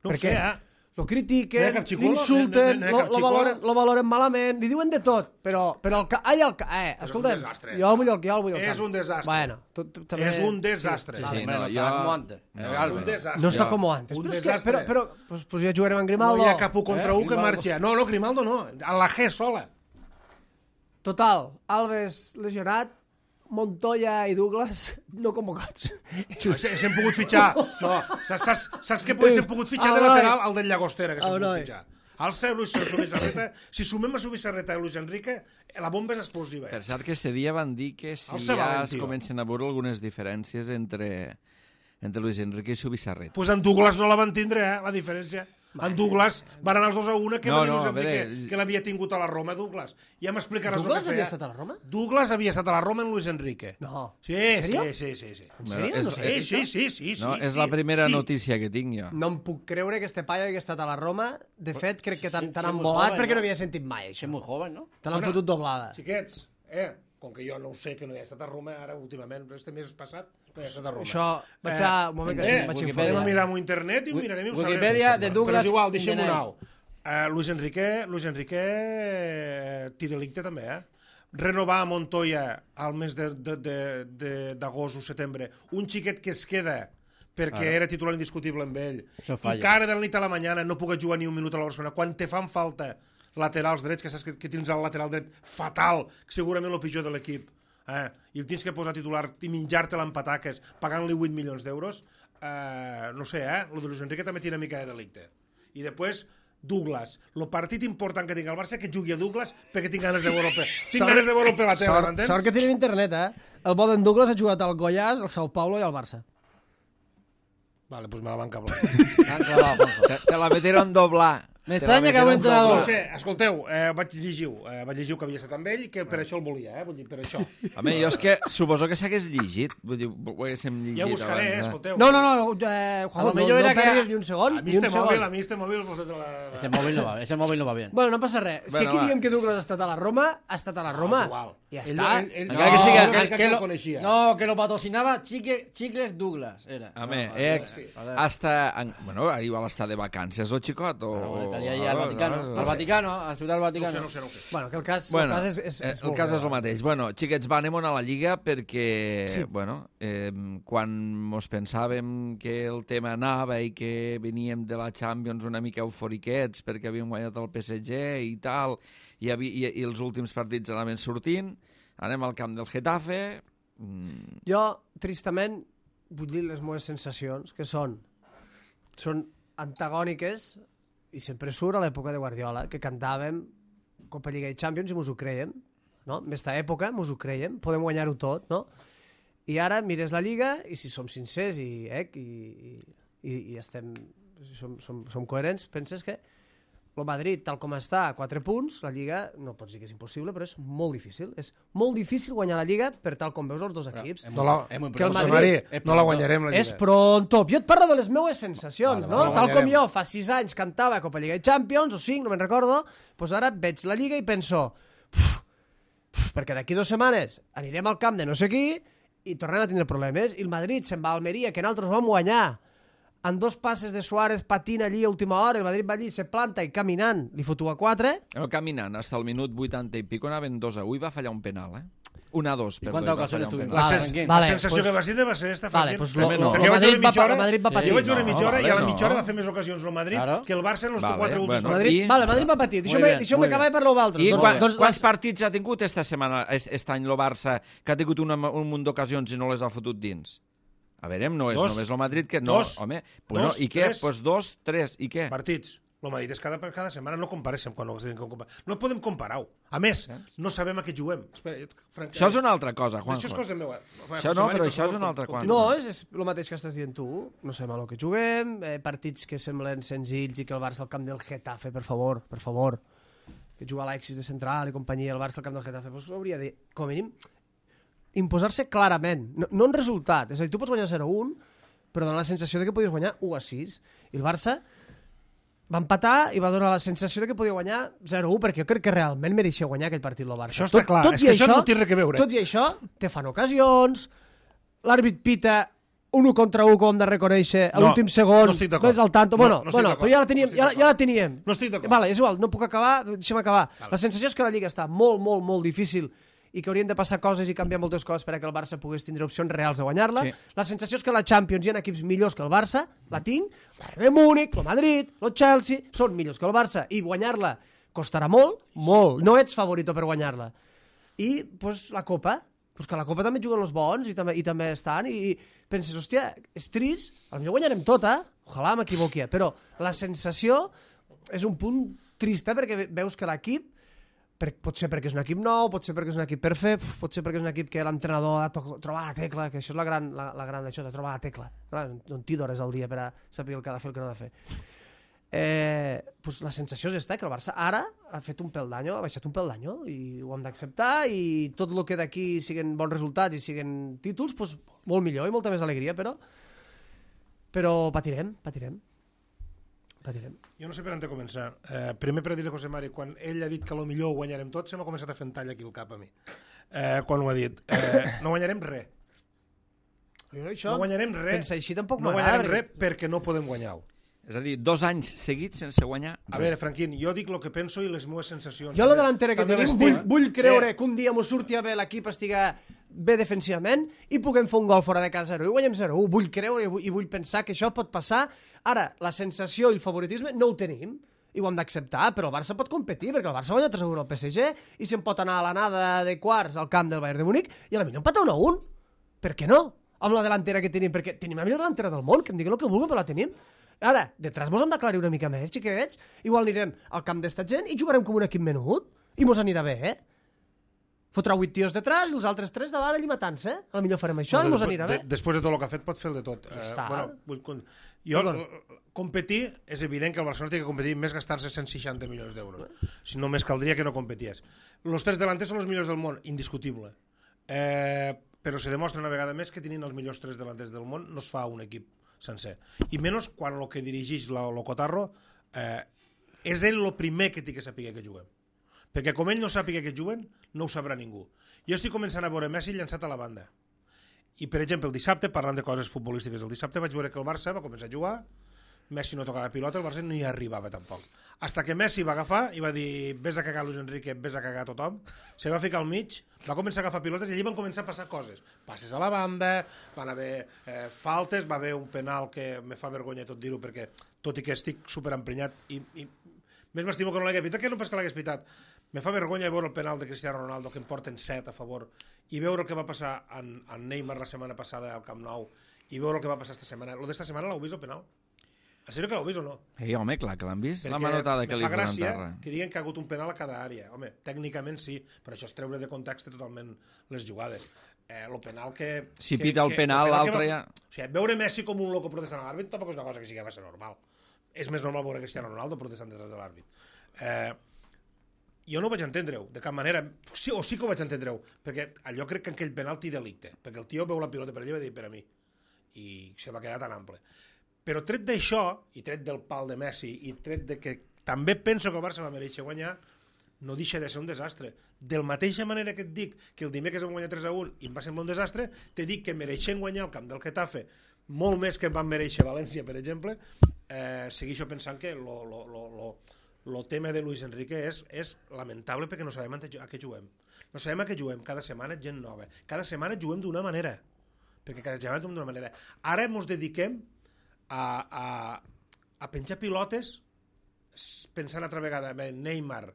No Per ho sé, què? eh? Lo No hi critiquen, ha cap xicolo? l'insulten, No hi ha- no hi ha lo, cap lo, xicolo? valoren, lo valoren malament, li diuen de tot, però, però el ca... Ai, el ca... Eh, un escolta'm, desastre. jo el vull al, jo el vull al És camp. un desastre. Bueno, tu, tu, també... És un desastre. Sí, Sí, hombre, no, no, jo- estaba como antes. no, Eh, Un Álvaro. desastre. No està Jo- com antes. un Però, és que, desastre. però, però pues, pues ja jugarem amb No Grimaldo. hi ha cap u contra Eh, u que Grimaldo. marxi. No, no, Grimaldo no. A la G sola. Total, Alves lesionat, Montoya i Douglas no convocats. S'hem pogut fitxar. No, saps, saps què s'hem pogut fitxar de lateral? El del Llagostera, que s'hem pogut fitxar. Al ser Luis Subisarreta, si sumem a Subisarreta i Luis Enrique, la bomba és explosiva. Per cert, que este dia van dir que si ja es comencen a veure algunes diferències entre, entre Luis Enrique i Subisarreta. Doncs pues en Douglas no la van tindre, eh, la diferència. En Douglas van anar els dos a una, que no, va dir Luis Enrique veure... que l'havia tingut a la Roma, Douglas. Ja m'explicaràs el que feia. Douglas havia estat a la Roma? Douglas havia estat a la Roma en Luis Enrique. No. Sí, sí, sí, sí, sí. En sèrio? No sé. Sí, sí, sí, sí. No, és la primera notícia que tinc jo. No em puc creure que este paio hagi estat a la Roma. De fet, crec que t'han embolat perquè no havia sentit mai això. És molt joven, no? Te l'han fotut doblada. Xiquets, eh, com que jo no ho sé, que no hi ha estat a Roma, ara últimament, però este mes passat no hi ha estat a Roma. Això, vaig a... Un moment que vaig informar. Anem a mirar-ho a internet i ho mirarem i ho sabrem. Wikipedia de Douglas... Però és igual, deixem-ho nou. Luis Enrique, Luis Enrique té delicte també, eh? Renovar a Montoya al mes d'agost o setembre un xiquet que es queda perquè era titular indiscutible amb ell i que ara de la nit a la mañana no puc jugar ni un minut a la Barcelona quan te fan falta laterals drets, que saps que, que tens el lateral dret fatal, segurament el pitjor de l'equip, eh? I el tens que posar titular i menjar-te-la en pataques pagant-li vuit milions d'euros, eh, no sé, eh? El de Luis Enrique també té una mica de delicte. I després, Douglas, el partit important que tinc al Barça, que jugui a Douglas perquè tinc ganes de veure-lo per, tinc ganes de veure-lo per la tele, m'entens? Sort que tenim internet, eh? El bo d'en Douglas ha jugat al Goiás, al Sao Paulo i al Barça. Vale, pues me la van cablar. te, te la metieron doblar. M'estranya que ho entrenador. No sé, escolteu, eh, vaig llegir eh, vaig llegir que havia estat amb ell, que per això el volia, eh? Vull dir, per això. Home, jo és que suposo que s'hagués llegit. Vull dir, ho haguéssim llegit. Ja ho buscaré, abans, eh? Escolteu. No, no, no, eh, Juanjo, no, no perdis ni un segon. A mi este mòbil, a mi este mòbil... Ese mòbil no va, ese mòbil no va bien. Bueno, no passa res. Si aquí diem que Douglas ha estat a la Roma, ha estat a la Roma. Ja està. Encara que siga... Que el coneixia. No, que lo patrocinava Chicles Douglas, era. Home, hasta... Bueno, igual està de vacances o xicot, o... Estaria allà al Vaticano. Al Vaticano, a la ciutat del Vaticano. No sé, no sé, no sé. Bueno, que el cas, bueno, el cas és, és, és el cas és el mateix. Bueno, xiquets, va, anem a la Lliga perquè, sí. bueno, eh, quan mos pensàvem que el tema anava i que veníem de la Champions una mica euforiquets perquè havíem guanyat el P S G i tal, i, havia, i, i els últims partits anaven sortint, anem al camp del Getafe... Mm. Jo, tristament, vull dir les meves sensacions, que són, són antagòniques, i sempre surt a l'època de Guardiola, que cantàvem Copa Lliga i Champions i mos ho creiem, no? En aquesta època mos ho creiem, podem guanyar-ho tot, no? I ara mires la Lliga i si som sincers i, eh, i, i, i estem, som, som, som coherents, penses que el Madrid, tal com està, a quatre punts, la Lliga, no pots dir que és impossible, però és molt difícil. És molt difícil guanyar la Lliga per tal com veus els dos equips. No la, que el Madrid, no la guanyarem, la Lliga. És pronto. Jo et parlo de les meues sensacions, vale, no? no tal com jo fa sis anys cantava Copa Lliga i Champions, o cinc, no me'n recordo, doncs ara veig la Lliga i penso, uf, uf, perquè d'aquí dues setmanes anirem al camp de no sé qui i tornem a tindre problemes. I el Madrid se'n va a Almeria, que nosaltres vam guanyar, en dos passes de Suárez patina allí a última hora, el Madrid va allí, se planta i caminant, li fotu a quatre. No, caminant, fins al minut vuitanta i pico anaven dos a un i va fallar un penal, eh? Un a dos, perdó. I quantes ocasions tuvim? La, sens la vale, sensació pues, que va ser va ser esta vale, pues lo, no. Perquè jo vaig veure mitja hora, Madrid va patir. Jo vaig veure mitja hora i a la mitja hora va fer més ocasions el Madrid claro. Que el Barça en els vale, quatre últims bueno, partits. Vale, Madrid va patir. Deixeu-me acabar per l'altre. I doncs, quan, doncs, quants les... partits ha tingut esta setmana, aquest any el Barça, que ha tingut una, un munt d'ocasions i no les ha fotut dins? A veure, no és dos, només el Madrid que... No, dos, home, bueno, dos, i què? Doncs pues dos, tres, i què? Partits. El Madrid és cada, cada setmana, no compareixem quan no, no podem comparar-ho. A més, no sabem a què juguem. Espera, franc... Això és una altra cosa, Juanjo. Això és cosa meva. Això no, però això és una altra cosa. No, és, és el mateix que estàs dient tu. No sabem a què juguem, eh, partits que semblen senzills i que el Barça al camp del Getafe, per favor, per favor, que juga Alexis de central i companyia, el Barça al camp del Getafe, doncs hauria de, com a mínim, imposar-se clarament, no, no en resultat. És a dir, tu pots guanyar zero a un, però dona la sensació de que podies guanyar u a sis. I el Barça va empatar i va donar la sensació de que podia guanyar zero a un, perquè jo crec que realment mereixia guanyar aquell partit el Barça. Això està tot, clar, tot és que això, això no té res que veure. Tot i això, te fan ocasions, l'àrbit pita un u contra u, com hem de reconèixer, a no, l'últim segon, no estic d'acord. Ves al tanto. No, bueno, no bueno però ja la teníem. No ja, ja la teníem. No estic d'acord. Vale, és igual, no puc acabar, deixa'm acabar. Vale. La sensació és que la Lliga està molt, molt, molt difícil i que haurien de passar coses i canviar moltes coses perquè el Barça pogués tindre opcions reals de guanyar-la. Sí. La sensació és que la Champions hi ha equips millors que el Barça, la tinc, el Múnich, el Madrid, el Chelsea, són millors que el Barça, i guanyar-la costarà molt, molt. No ets favorito per guanyar-la. I, doncs, la Copa, Pues que a la Copa també juguen els bons i també, i també estan, i, i penses, hòstia, és trist, potser guanyarem tot, eh? Ojalà m'equivoqui, però la sensació és un punt trist, eh? Perquè veus que l'equip, per, pot ser perquè és un equip nou, pot ser perquè és un equip per fer, uf, pot ser perquè és un equip que l'entrenador ha to trobar la tecla, que això és la gran, la, la gran d'això, de trobar la tecla. Un tio d'hores al dia per a saber el que ha de fer, el que no ha de fer. Eh, pues la sensació és esta, que el Barça ara ha fet un pèl d'any, ha baixat un pèl d'any, i ho hem d'acceptar, i tot el que d'aquí siguen bons resultats i siguen títols, pues, molt millor i molta més alegria, però però patirem, patirem. patirem. Jo no sé per on de començar. Eh, primer per dir-li a José Mari, quan ell ha dit que lo millor ho guanyarem tot, se m'ha començat a fer tall aquí al cap a mi. Eh, quan ho ha dit. Eh, no guanyarem res. Això, no guanyarem res. Pensa així tampoc no m'agrada. guanyarem res perquè no podem guanyar-ho. És a dir, dos anys seguits sense guanyar. A veure, Franquín, jo dic el que penso i les meves sensacions. Jo la delantera que tenim, vull, vull creure eh. que un dia m'ho surti a bé l'equip estiga bé defensivament i puguem fer un gol fora de casa zero i guanyem zero u. Vull creure i vull, i vull pensar que això pot passar. Ara, la sensació i el favoritisme no ho tenim i ho hem d'acceptar, però el Barça pot competir perquè el Barça guanya tres a un al P S G i se'n pot anar a l'anada de quarts al camp del Bayern de Múnich i a la millor empatar un a un. Per què no? Amb la delantera que tenim, perquè tenim la millor delantera del món, que em diguin el que vulguin, però la tenim. Ara, detrás mos hem d'aclarir una mica més, xiquets. Igual anirem al camp d'esta gent i jugarem com un equip menut. I mos anirà bé, eh? Fotrà vuit tios detrás i els altres tres davant allà matant-se, eh? A lo millor farem això no, i mos anirà bé. De, després de tot el que ha fet pot fer el de tot. Ja eh, està. Bueno, vull, jo, competir, és evident que el Barcelona té que competir més gastar-se cent seixanta milions d'euros. Si només caldria que no competies. Els tres delanters són els millors del món, indiscutible. Eh, però se demostra una vegada més que tenint els millors tres delanters del món no es fa un equip sencer. I menys quan el que dirigeix el Cotarro eh, és ell el primer que té que saber que juguem. Perquè com ell no sàpiga que juguen, no ho sabrà ningú. Jo estic començant a veure Messi llançat a la banda. I, per exemple, el dissabte, parlant de coses futbolístiques, el dissabte vaig veure que el Barça va començar a jugar, Messi no tocava pilota, el Barça ni arribava tampoc. Hasta que Messi va agafar i va dir vés a cagar Luis Enrique, vés a cagar tothom, se va ficar al mig, va començar a agafar pilotes i allí van començar a passar coses. Passes a la banda, van haver eh, faltes, va haver un penal que me fa vergonya tot dir-ho perquè, tot i que estic superemprenyat i, i més m'estimo que no l'hagués pitat, que no pas que l'hagués pitat. Me fa vergonya veure el penal de Cristiano Ronaldo que en porten set a favor i veure el que va passar en, en Neymar la setmana passada al Camp Nou i veure el que va passar esta setmana. Lo d'esta setmana l'heu vist el penal? A sèrio que l'heu vist o no? Ei, home, clar que l'han vist. Perquè la manotada que li fa posen gràcia terra. que diguen que ha hagut un penal a cada àrea. Home, tècnicament sí, però això és treure de context totalment les jugades. Eh, el penal que... Si que, pita el que, penal, l'altre va... ja... O sigui, veure Messi com un loco protestant a l'àrbit tampoc és una cosa que sí que va ser normal. És més normal veure Cristiano Ronaldo protestant des de l'àrbit. Eh, jo no ho vaig entendre-ho, de cap manera. Sí, o sí que ho vaig entendre-ho, perquè allò crec que en aquell penal té delicte, perquè el tio veu la pilota per allà i va dir per a mi. I se va quedar tan ample. Però tret d'això, i tret del pal de Messi, i tret de que també penso que el Barça va mereixer guanyar, no deixa de ser un desastre. De la mateixa manera que et dic que el dimecres vam guanyar tres a un i em va semblar un desastre, te dic que mereixen guanyar el camp del Getafe molt més que van mereixer València, per exemple, eh, segueixo pensant que lo, lo, lo, lo, lo tema de Luis Enrique és, és lamentable perquè no sabem a què juguem. No sabem a què juguem. Cada setmana gent nova. Cada setmana juguem d'una manera. Perquè cada setmana juguem d'una manera. Ara ens dediquem A, a, a penjar pilotes pensant altra vegada Neymar,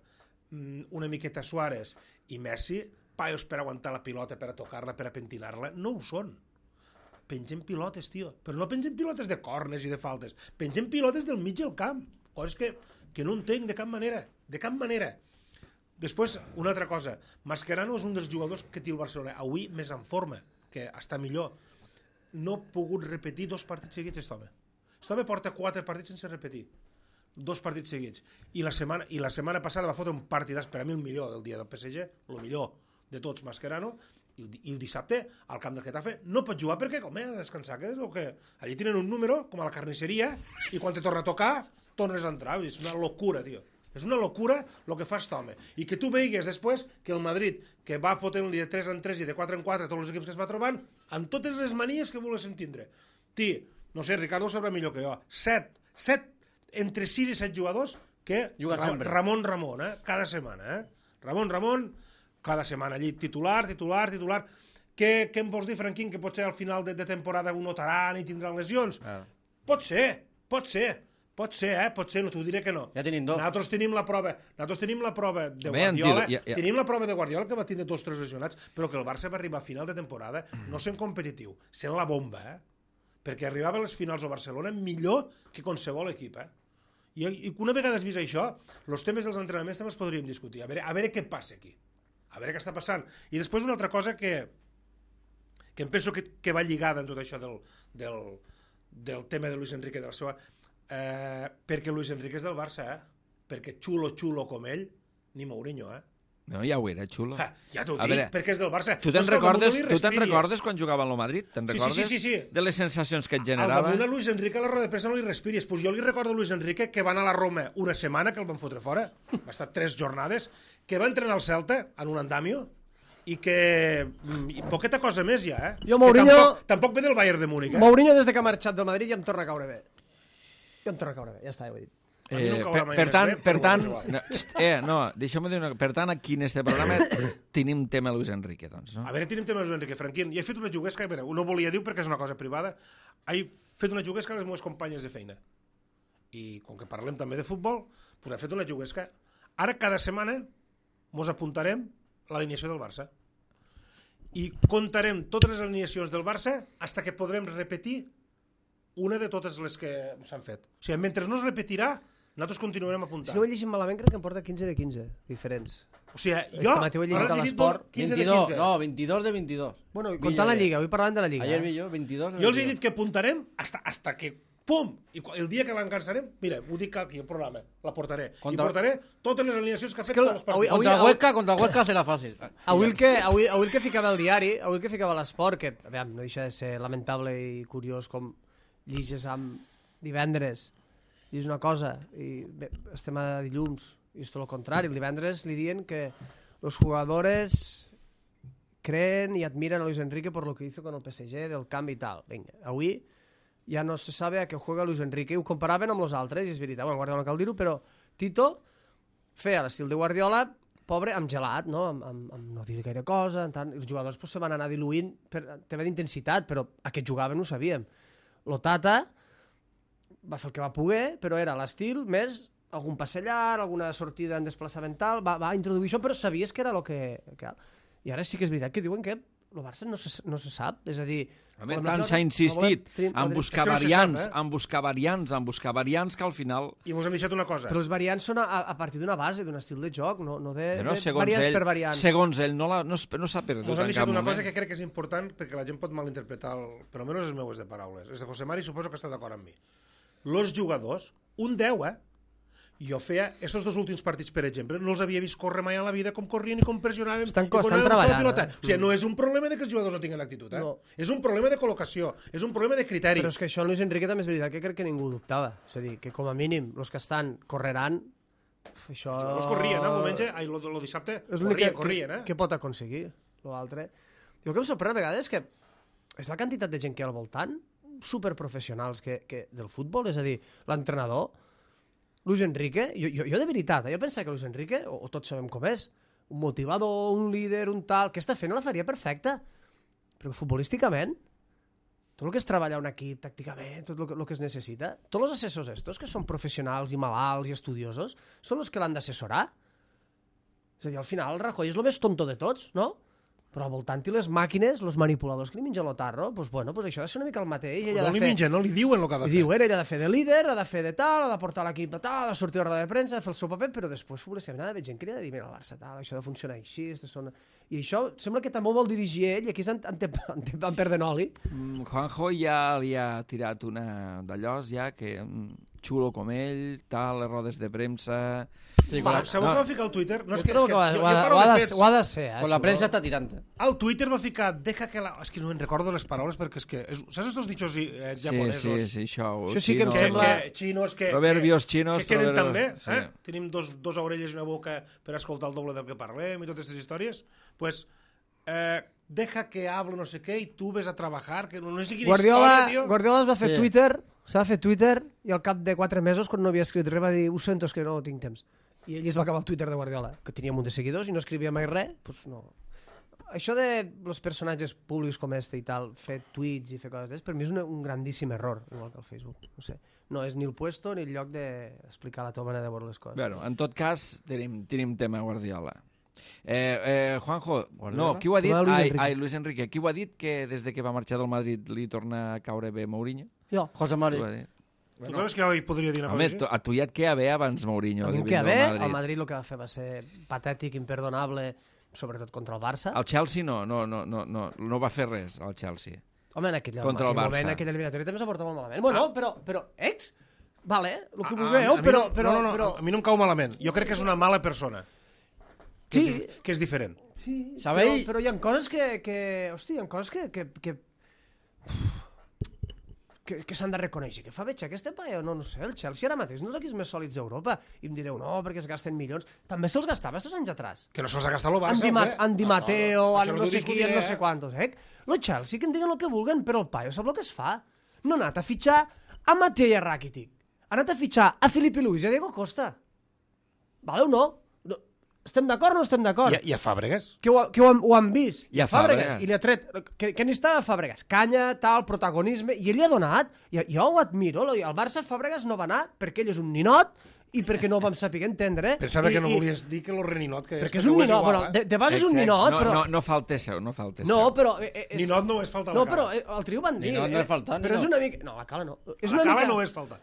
una miqueta Suárez i Messi, paios per aguantar la pilota, per a tocar-la, per a pentinar-la, no ho són. Pengem pilotes, tio, però no pengem pilotes de cornes i de faltes, pengem pilotes del mig del camp, coses que, que no entenc de cap manera, de cap manera. Després, una altra cosa, Mascherano és un dels jugadors que té el Barcelona avui més en forma, que està millor. No ha pogut repetir dos partits seguits, aquest home. Aquest home porta quatre partits sense repetir. Dos partits seguits. I la setmana, i la setmana passada va fotre un partidàs, per a mi el millor del dia del P S G, el millor de tots, Mascherano, i el, i el dissabte al camp del Getafe no pot jugar perquè com ha de descansar, que és el que... Allí tenen un número, com a la carnisseria, i quan te torna a tocar, tornes a entrar. És una locura, tio. És una locura el que fa aquest home. I que tu veigues després que el Madrid, que va fotent-li de tres en tres i de quatre en quatre tots els equips que es va trobant, amb totes les manies que volguessin tindre. Ti, no sé, Ricardo ho sabrà millor que jo. Set, set, entre sis i set jugadors que Ra Ramon Ramon, eh? Cada setmana. Eh? Ramon Ramon, cada setmana allí, titular, titular, titular. Què, què em vols dir, Franquín, que potser al final de, de temporada ho notaran i tindran lesions? Ah. Pot ser, pot ser. Pot ser, eh? Pot ser, no t'ho diré que no. Ja tenim dos. Nosaltres tenim la prova, nosaltres tenim la prova de Home, Guardiola, ja, ja. tenim la prova de Guardiola que va tindre dos tres lesionats, però que el Barça va arribar a final de temporada no sent competitiu, sent la bomba, eh? Perquè arribava a les finals a Barcelona millor que qualsevol equip, eh? I, i una vegada has vist això, els temes dels entrenaments també els podríem discutir, a veure, a veure què passa aquí, a veure què està passant. I després una altra cosa que, que em penso que, que va lligada en tot això del, del, del tema de Luis Enrique, de la seva... Eh, perquè Luis Enrique és del Barça, eh? Perquè xulo, xulo com ell, ni Mourinho, eh? No, ja ho era, xulo. Ja, ja t'ho A dic, veure, perquè és del Barça. Tu te'n No és que al recordes, damunt li tu te'n respiris. recordes quan jugava en el Madrid? Te'n Sí, sí, recordes sí, sí, sí. de les sensacions que et Al generava? damunt a Luis Enrique a la roda de premsa no li respiris. Pues jo li recordo a Luis Enrique que va anar a la Roma una setmana, que el van fotre fora, va estar tres jornades, que va entrenar al Celta en un andamio, i que... I poqueta cosa més ja, eh? Jo, Que Mourinho- tampoc, tampoc ve del Bayern de Múnich, eh? Mourinho, des de que ha marxat del Madrid, ja em torna a caure bé. Ja em torna a caure bé, ja està, ja ho he dit. A mi no em Eh, caurà per, mai per més tant, bé, per però tant, igual. no, eh, no, deixeu-me dir una cosa. Per tant, aquí en este programa tenim tema Luis Enrique, doncs, no? A veure, tenim temes Enrique Franquín. I he fet una juguesca, a veure, no volia dir perquè és una cosa privada, he fet una juguesca a les meves companyes de feina. I com que parlem també de futbol, doncs he fet una juguesca. Ara cada setmana mos apuntarem l'alineació del Barça. I contarem totes les alineacions del Barça fins que podrem repetir una de totes les que s'han fet. O sigui, mentre no es repetirà, nosaltres continuarem apuntant. Si no ho he llegit malament, crec que em porta quinze de quinze diferents. O sigui, Este jo... matí ho he llegit ara a els he dit l'Esport. quinze de veintidós, quinze. no, veintidós de veintidós. Bueno, i Vi comptant la ayer. Lliga, avui parlàvem de la Lliga. Ayer eh? vi jo veintidós de Jo els he veintidós. dit que apuntarem hasta, hasta que, pum, i el dia que l'encansarem, mira, ho dic aquí al programa, la portaré. Contra- I portaré totes les alineacions que ha És fet que tots els avui- partits. Contra el avui- Huesca, contra el Huesca serà fàcil. Avui el, que, avui, avui el que ficava el diari, avui el que ficava l'esport, que aviam, no deixa de ser lamentable i curiós com lliges amb divendres, i és una cosa, i bé, estem a dilluns, i és tot el contrari, el divendres li diuen que los jugadores creen y admiran a Luis Enrique por lo que hizo con el P S G, del canvi i tal. Vinga, avui ja no se sabe a què juega Luis Enrique, i ho comparaven amb els altres, i és veritat, bueno, Guardiola no cal dir-ho, però Tito feia l'estil de Guardiola, pobre, amb gelat, no? Amb, amb, amb no dir gaire cosa, en tant, els jugadors pues, se van anar diluint per tema d'intensitat, però a què jugaven ho sabíem. Lo Tata va fer el que va poder, però era l'estil més algun passe llarg, alguna sortida en desplaçament tal, va, va introduir això, però sabies que era el que... que... I ara sí que és veritat que diuen que el Barça no se, no se sap, és a dir... Home, volem- tant no, s'ha no, insistit no volem- en tenim- buscar És que no se variants, sap, eh? en buscar variants, en buscar variants, que al final... I mos hem deixat una cosa. Però els variants són a, a partir d'una base, d'un estil de joc, no, no de, No, de segons variants ell, per variants. segons ell, no, la, no, es- no s'ha perdut Mos han en deixat cap una moment. cosa que crec que és important perquè la gent pot malinterpretar, el, per almenys les meues de paraules. És de José Mari, suposo que està d'acord amb mi. Los jugadors, un deu, eh? Jo feia, estos dos últims partits, per exemple, no els havia vist córrer mai a la vida com corrien i com pressionaven Estan- i com estan anaven a buscar la treballant, pilota. eh? O sigui, no és un problema de que els jugadors no tinguin actitud, eh? No. És un problema de col·locació, és un problema de criteri. Però és que això en Luis Enrique també és veritat que crec que ningú ho dubtava. És a dir, que com a mínim, els que estan correran, uf, això... Els jugadors corrien, eh? El diumenge, ai, el, el dissabte, És l'únic corrien, que, corrien, eh? que, que pot aconseguir, l'altre. Jo el que em sorprèn a vegades és que és la quantitat de gent que hi ha al voltant, superprofessionals que, que del futbol, és a dir, l'entrenador, Luis Enrique, jo, jo, jo de veritat, eh, jo pensava que Luis Enrique, o, o tots sabem com és, un motivador, un líder, un tal, que està fent la faria perfecta, però futbolísticament, tot el que és treballar un equip tàcticament, tot el que, el que es necessita, tots els assessors estos, que són professionals i malalts i estudiosos, són els que l'han d'assessorar. És a dir, al final el Rajoy és el més tonto de tots, no? Però al voltant i les màquines, els manipuladors que li mengen l'otarro, doncs bueno, pues això ha de ser una mica el mateix. Ella No ha de li fer... mengen, no li diuen el que ha de I fer. diuen, ella ha de fer de líder, ha de fer de tal, ha de portar l'equip de tal, ha de sortir a la roda de premsa, ha de fer el seu paper, però després futbolísticament ha d'haver gent que li ha de dir, mira, el Barça tal, això ha de funcionar així, són... I això sembla que també ho vol dirigir ell, i aquí en, en, en, en perden oli. Mm, Juanjo ja li ha tirat una d'allòs, ja, que mm, xulo com ell, tal, les rodes de premsa... Sí, Va, con la, sabeu no. què va ficar al Twitter? No, és Jo que, trobo és que, que ho ha- jo, ho ha- jo parlo ho ha de de- fets. ho ha de ser, eh, con la xulo. prensa está tirante. Al Twitter va ficar, deja que la... És que no me'n recordo les paraules perquè és que... És... Saps estos dichos eh, Sí, japonesos? sí, sí, això... Això sí que em Que, sembla- que xinos que... Proverbios que, xinos, Que queden proverbios- tan bé, sí. eh? Tenim dos, dos orelles i una boca per escoltar el doble del que parlem i totes aquestes històries. Pues, eh, deja que hable no sé què i tu ves a treballar, que no, no sé quina Guardiola, història, tio. Guardiola es va fer Sí. Twitter, s'ha fer Twitter, i al cap de quatre mesos, quan no havia escrit res, va dir, ho sento, és que no tinc temps. I ell es va acabar el Twitter de Guardiola, que tenia un munt de seguidors i no escrivia mai res, doncs no. això de los personatges públics com este i tal, fer tuits i fer coses d'es, per mi és un, un grandíssim error, igual que el Facebook. No sé, no és ni el puesto ni el lloc d'explicar la teva manera de veure les coses. Bueno, en tot cas, tenim, tenim tema Guardiola. Eh, eh, Juanjo, Guardiola? no, qui ho ha dit? Tema de Luis Ai, Enrique. ai, Luis Enrique. Qui ho ha dit que des de que va marxar del Madrid li torna a caure bé Mourinho? Jo. José Mari. Qui ho ha dit? Tu creus que jo hi podria dir una Home, cosa tu, així? a tu ja et queda bé abans Mourinho. A mi de em queda vindre bé, al el Madrid. Madrid el que va fer va ser patètic, imperdonable, sobretot contra el Barça. El Chelsea no, no, no, no, no, no va fer res, el Chelsea. Home, en aquell, Contra el en aquell Barça. moment, en aquella eliminatòria també s'ha portat molt malament. Bueno, Ah. però, però, ex, vale, el que A- a- vulgueu, a mi però, no- però, no, no, no, però... a mi no em cau malament. Jo crec que és una mala persona. Que, Sí. és, dif- que és diferent. Sí, Sabeu? però, però hi ha coses que, que hosti, hi ha coses que, que, que, que, que s'han de reconèixer. Que fa veig aquesta paia, no, no sé, el Chelsea ara mateix no és equips més sòlids d'Europa. I em direu, no, perquè es gasten milions. També se'ls gastava estos anys atrás. Que no se'ls ha gastat el Barça. Andy, Mat hombre. Andy No, Mateo, no, no, això no, t'ho sé qui, discutiré, no sé eh? quantos, eh? Lo Chelsea que en diguen el que vulguen, però el paio sap el que es fa. No ha anat a fitxar a Matei Rakitic. Ha anat a fitxar a Filipe Luis i a Diego Costa. Vale o no? no estem d'acord o no estem d'acord? I, I a Fàbregas? Que, ho, que ho, han, ho han vist. I a Fàbregas. Fàbregas. I li ha tret... Que, que n'hi estava Fàbregas. Canya, tal, protagonisme... I ell li ha donat. I, jo ho admiro. lo- El Barça Fàbregas no va anar perquè ell és un ninot i perquè no ho vam saber entendre. Pensava I, que no i, volies dir que lo reninot que és. Perquè és un ho ninot. igual, Bueno, eh? de, de base és un Ex, ex, ninot, no, però... No, no falta seu, no falta seu. No, però... eh, eh, És... Ninot no és falta a la No, cala. però eh, el trio van dir... Ninot no eh, és faltar, Però és ninot. una mica... No, la cala no. És la una cala mica... no és falta.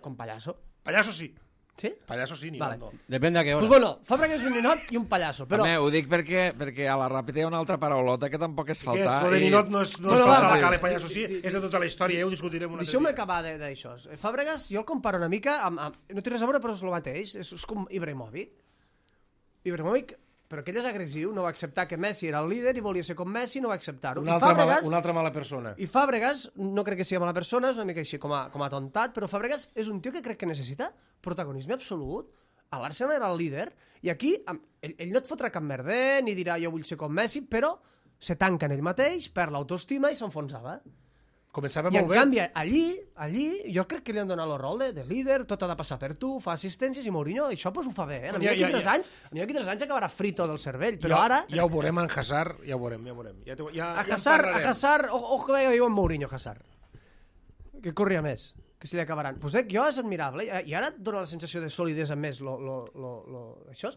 Com pallasso. Pallasso sí. Sí? Pallasso sí, ninot Vale. no. Depende a qué hora. Pues bueno, Fàbregas és un ninot i un pallasso, però... Home, ho dic perquè, perquè a la ràpida hi ha una altra paraulota que tampoc és Faltar, faltar. lo de i- ninot no és, no Bueno, és falta va, a la va. cala i pallasso sí, és de tota la història, ja ho discutirem un altre Deixeu-me dia. acabar de- d'això. Fàbregas, jo el comparo una mica amb, amb... No té res a veure, però és el mateix. És, és com Ibrahimovic. Ibrahimovic, però que ell és agressiu, no va acceptar que Messi era el líder i volia ser com Messi, no va acceptar-ho. Una I altra, mala, Fàbregas, una altra mala persona. I Fàbregas, no crec que sigui mala persona, és una mica així com a, com a tontat, però Fàbregas és un tio que crec que necessita protagonisme absolut. A l'Arsenal era el líder, i aquí amb- ell, ell no et fotrà cap merder, ni dirà jo vull ser com Messi, però se tanca en ell mateix, perd l'autoestima i s'enfonsava. Començava I en molt bé. canvi, allí, allí, jo crec que li han donat el rol de, de líder, tot ha de passar per tu, fa assistències i Mourinho, això pues, ho fa bé. Eh? A mi Ja, d'aquí ja, tres ja. anys, a mi d'aquí tres anys acabarà frito del cervell, però ja, ara... Ja ho veurem en Hazard, ja ho veurem, ja ho veurem. Ja, te- ja, A ja en Hazard, a parlarem. Hazard, o, o que viu en Mourinho, Hazard. Que corria més, que se li acabaran. Pues eh, jo és admirable, i i ara et dona la sensació de solidesa més lo, lo, lo, lo, això.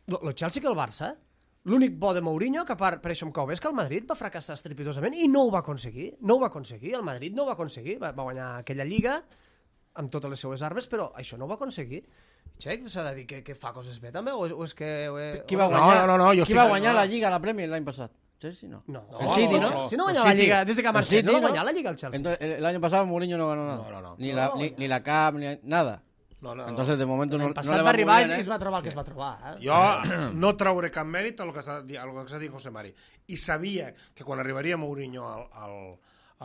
Lo, lo Chelsea que el Barça, eh? L'únic bo de Mourinho, que a part, per això em cau bé, és que el Madrid va fracassar estrepitosament i no ho va aconseguir. No ho va aconseguir, el Madrid no ho va aconseguir. Va, va guanyar aquella lliga amb totes les seues armes, però això no ho va aconseguir. Txec, s'ha de dir que, que fa coses bé també, o és, o és que... O és, Qui va No, guanyar, no, no, jo qui estic- va guanyar no. la Lliga, la Premier l'any passat? Chelsea no. No, El City, ¿no? Si no El guanya la City. Lliga, des de que ha El marxat, City, no va ¿no? guanyar la Lliga el Chelsea. Entonces, el, el año pasado Mourinho no ganó nada. No, no, no. Ni, la, ni, ni la Cup, ni nada. No, no, no. Entonces, de momento no, L'any no passat le va va arribar muy i bien, es ¿eh? va trobar el que es va trobar. Eh? Jo no trauré cap mèrit a lo que s'ha dit, a lo que s'ha dit José Mari. I sabia que quan arribaria Mourinho al, al,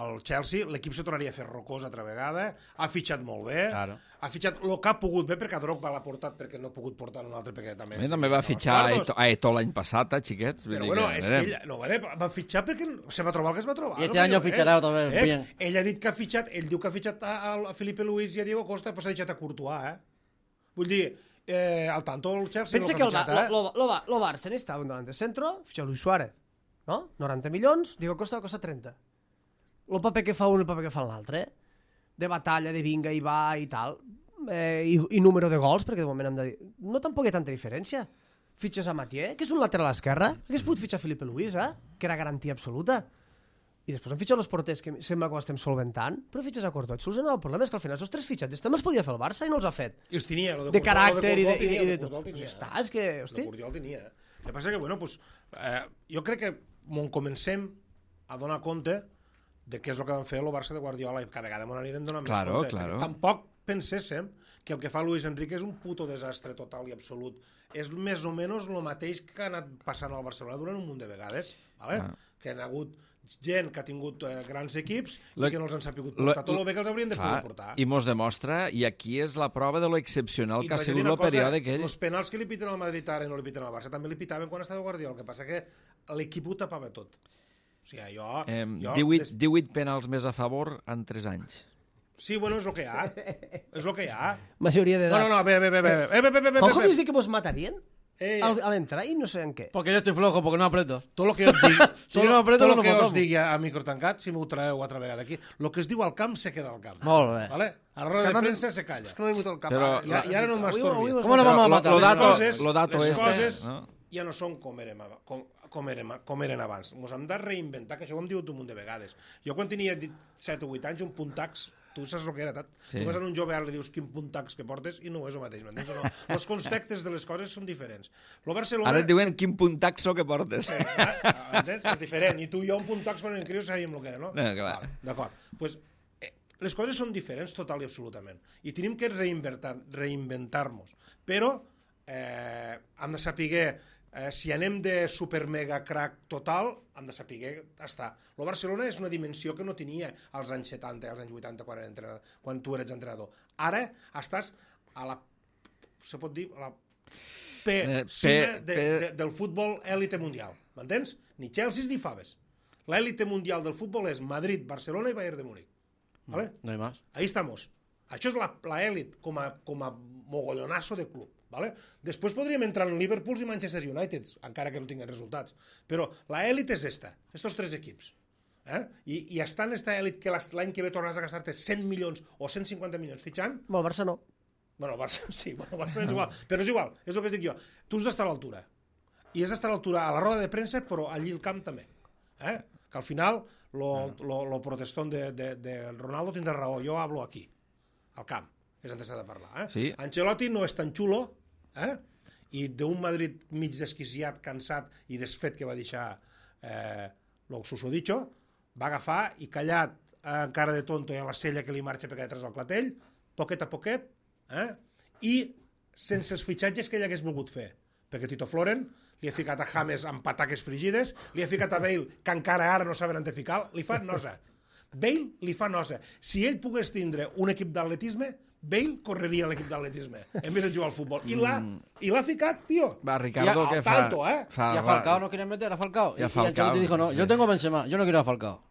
al Chelsea, l'equip se tornaria a fer rocós altra vegada, ha fitxat molt bé, Claro. ha fitxat el que ha pogut bé, perquè a Drogba l'ha portat perquè no ha pogut portar un altre, perquè també... A mi també va fitxar a Eto- a Eto'o l'any passat, eh, xiquets. Vull Però dir bueno, que, és que ell, no, vale, va fitxar perquè se va trobar el que es va trobar. Y este no, año eh? fichará otra vez, Eh? bien. Ell ha dit que ha fitxat, ell diu que ha fitxat a, a Felipe Luis i a Diego Costa, però s'ha deixat a Courtois, eh? Vull dir, eh, al tanto el Chelsea Pensa no que ha el, Ba- fitxat, eh? lo, lo, lo, lo Barça necessitava un delante centro, fitxa Luis Suárez, no? noranta milions, Diego Costa costa trenta. El paper que fa un i el paper que fa l'altre, eh? De batalla, de vinga i va i tal, eh, i, i número de gols, perquè de moment hem de dir... No tampoc hi ha tanta diferència. Fitxes a Mathieu, que és un lateral a l'esquerra, hagués pogut fitxar Felipe Luis, eh? Que era garantia absoluta. I després han fitxat els porters, que sembla que ho estem solventant, però fitxes a Courtois. Et soluciona el problema, és que al final els tres fitxatges també els podia fer el Barça i no els ha fet. I els tenia, lo de, De Courtois, caràcter i lo de, i, Courtois i de el tot. Courtois el Pues tenia. ja està, és que, El hosti... Courtois el tenia. El que passa que, bueno, pues, eh, jo crec que mon comencem a donar compte de què és el que van fer el Barça de Guardiola i cada vegada m'ho anirem donant Claro, més compte. claro. Perquè tampoc penséssim que el que fa Luis Enrique és un puto desastre total i absolut. És més o menys el mateix que ha anat passant al Barcelona durant un munt de vegades, vale? Ah. Que han hagut gent que ha tingut eh, grans equips Lo- i que no els han sapigut lo- portar tot el bé que els haurien de Clar, poder portar. i mos demostra, i aquí és la prova de lo excepcional I que ha vaig dir sigut una el cosa, període aquell. Els penals que li piten al Madrid ara i no li piten al Barça també li pitaven quan estava Guardiola, el que passa que l'equip ho tapava tot. O sigui, jo... Eh, jo divuit, des- divuit penals més a favor en tres anys. Sí, bueno, és el que hi ha. És el que hi ha. Majoria No, d'edat. no, no, bé, bé, bé, bé, bé, bé, bé, bé, bé, Com bé. dius dir que vos matarien? Eh, Al- a l'entrar i no sé en què. Porque yo estoy flojo, porque no aprieto. tot el que us digui, Si tot, no apreto, tot no el que m'ho us toco. digui a micro tancat, si m'ho traeu altra vegada aquí, el que es diu al camp se queda al camp. Molt bé. ¿Vale? A la roda de premsa se calla. És que no m'ha vingut al cap. Però- ara. I, I ara no Avui- m'estorbi. avui m'has ¿Cómo lo matat. vamos a Lo- matar? lo Les dato- coses, lo dato les este, coses no? ja no són com eren, ab- com, com, eren, com eren abans. Ens hem de reinventar, que això ho hem dit un munt de vegades. Jo quan tenia set o vuit anys, un puntax, tu saps el que era, Tat? Sí. Tu vas a un jove ara li dius quin puntax que portes i no és el mateix, m'entens o no? Els contextes de les coses són diferents. Lo Barcelona... Ara et diuen quin puntaxo que portes. Sí, eh? Entens? És diferent. I tu i jo un puntax quan en crios sabíem el que era, no? No, clar. Vale, d'acord. Pues, eh, les coses són diferents total i absolutament. I tenim que reinventar- reinventar-nos. Però eh, hem de saber, eh, si anem de super mega crack total, hem de saber estar. El Barcelona és una dimensió que no tenia als anys setanta, als anys vuitanta, quan, era entrenador, quan tu eres entrenador. Ara estàs a la... se pot dir... A la P, Eh, cima P- de, P- de, del futbol élite mundial. M'entens? Ni Chelsea ni Faves. L'élite mundial del futbol és Madrid, Barcelona i Bayern de Múnich. ¿Vale? No hay más. Ahí estamos. Això és la, la elit com a, com a mogollonazo de club. ¿Vale? Després podríem entrar en Liverpool i Manchester United, encara que no tinguin resultats. Però la elit és esta, estos tres equips. Eh? I, I està en esta elit que l'as- l'any que ve tornaràs a gastar-te cent milions o cent cinquanta milions fitxant. Amb el Barça no. Bueno, el Barça, sí, bueno, el Barça és igual. Però és igual, és el que es dic jo. Tu has d'estar a l'altura. I has d'estar a l'altura a la roda de premsa, però allí al camp també. Eh? Que al final, lo, lo, lo protestón de, de, de Ronaldo tindrà raó. Jo hablo aquí, al camp. És on s'ha de parlar. Eh? Sí. Ancelotti no és tan xulo, eh? I d'un Madrid mig desquiciat, cansat i desfet que va deixar eh, lo susodicho, va agafar i callat eh, encara de tonto i a la sella que li marxa per detrás al clatell, poquet a poquet, eh? I sense els fitxatges que ell hagués volgut fer. Perquè Tito Floren li ha ficat a James amb pataques frigides, li ha ficat a Bale, que encara ara no saben on de ficar, li fa nosa. Bale li fa nosa. Si ell pogués tindre un equip d'atletisme, Bale correria a l'equip d'atletisme, en vez de jugar al futbol. I l'ha i l'ha ficat, tio. Va, Ricardo, Ja, que al fa... tanto, eh? fa Y a Falcao no quieren meter a Falcao. Y a Y, Falcao, y Ancelotti dijo, no, sí. yo tengo Benzema, yo no quiero a Falcao.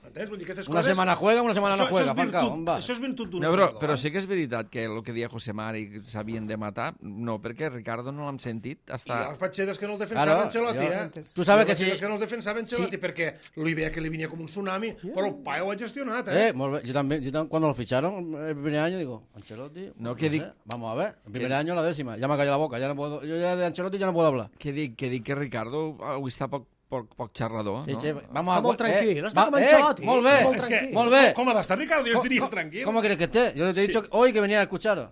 Entens? Vull dir, aquestes Una coses... semana juega, una semana no Això- juega, Això és Falcao, virtut, on va? això és virtut d'un No, però, entrenador, però eh? sí que és veritat que el que deia José Mari s'havien de matar, no, perquè Ricardo no l'hem sentit. I Està... els patxedes que no el defensava Claro, Ancelotti, jo- eh? tu sabes I els que si- patxedes que no el defensava Ancelotti, Sí. perquè li veia que li venia com un tsunami, però el paio ho ha gestionat, eh? Eh, molt bé. Yo también, yo tam- cuando lo ficharon el primer año, digo, Ancelotti, No, no que sé, dic- vamos a ver. El primer que- año la décima, ya me ha callado la boca, ya no puedo, yo ya de Ancelotti ya no puedo hablar. Que dic que, dic que Ricardo avui està poc, poc, poc xerrador, Sí, no? sí, vamos a Està molt tranquil, està com va- Ancelotti, molt bé, molt És que, tranquil. molt bé. com ha d'estar Ricardo? Jo estaria ¿Cómo- tranquil. ¿Cómo quieres que esté? Yo te he dicho hoy que venía a escucharos.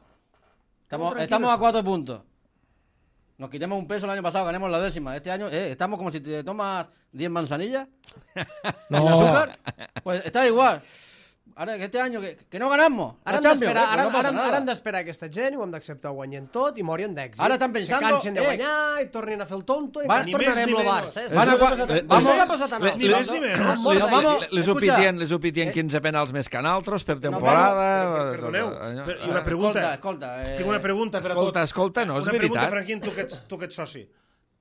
Estamos, tranquilos. estamos a cuatro puntos. Nos quitamos un peso el año pasado, ganemos la décima. Este año eh, estamos como si te tomas diez manzanillas. No. de azúcar. Pues está igual. Ahora que este año que, que no ganamos. Ara la hem Champions, d'esperar eh, pues ara, no pasa ara, nada. ara hem d'esperar aquesta gent i ho hem d'acceptar guanyant tot i morin d'èxit. Ara estan pensando, Se cansen de eh, guanyar i tornin a fer el tonto i van- encara ni tornarem més ni lo menys. Barça. Eh? Van a Això qua- ha passat- eh, això vamos- ha passat a ni nosaltres. més ni menys. Amb molta Nos vamos- gent. Les, les escucha, opitien, les opitien eh, quinze penals més que en altres per No, temporada. però, perdoneu, Allò- però, i una Ah. pregunta. Escolta, escolta. Eh, Tinc una pregunta per a Escolta, tot. escolta, no, és una pregunta, veritat. Franquín, tu que ets, tu que ets soci.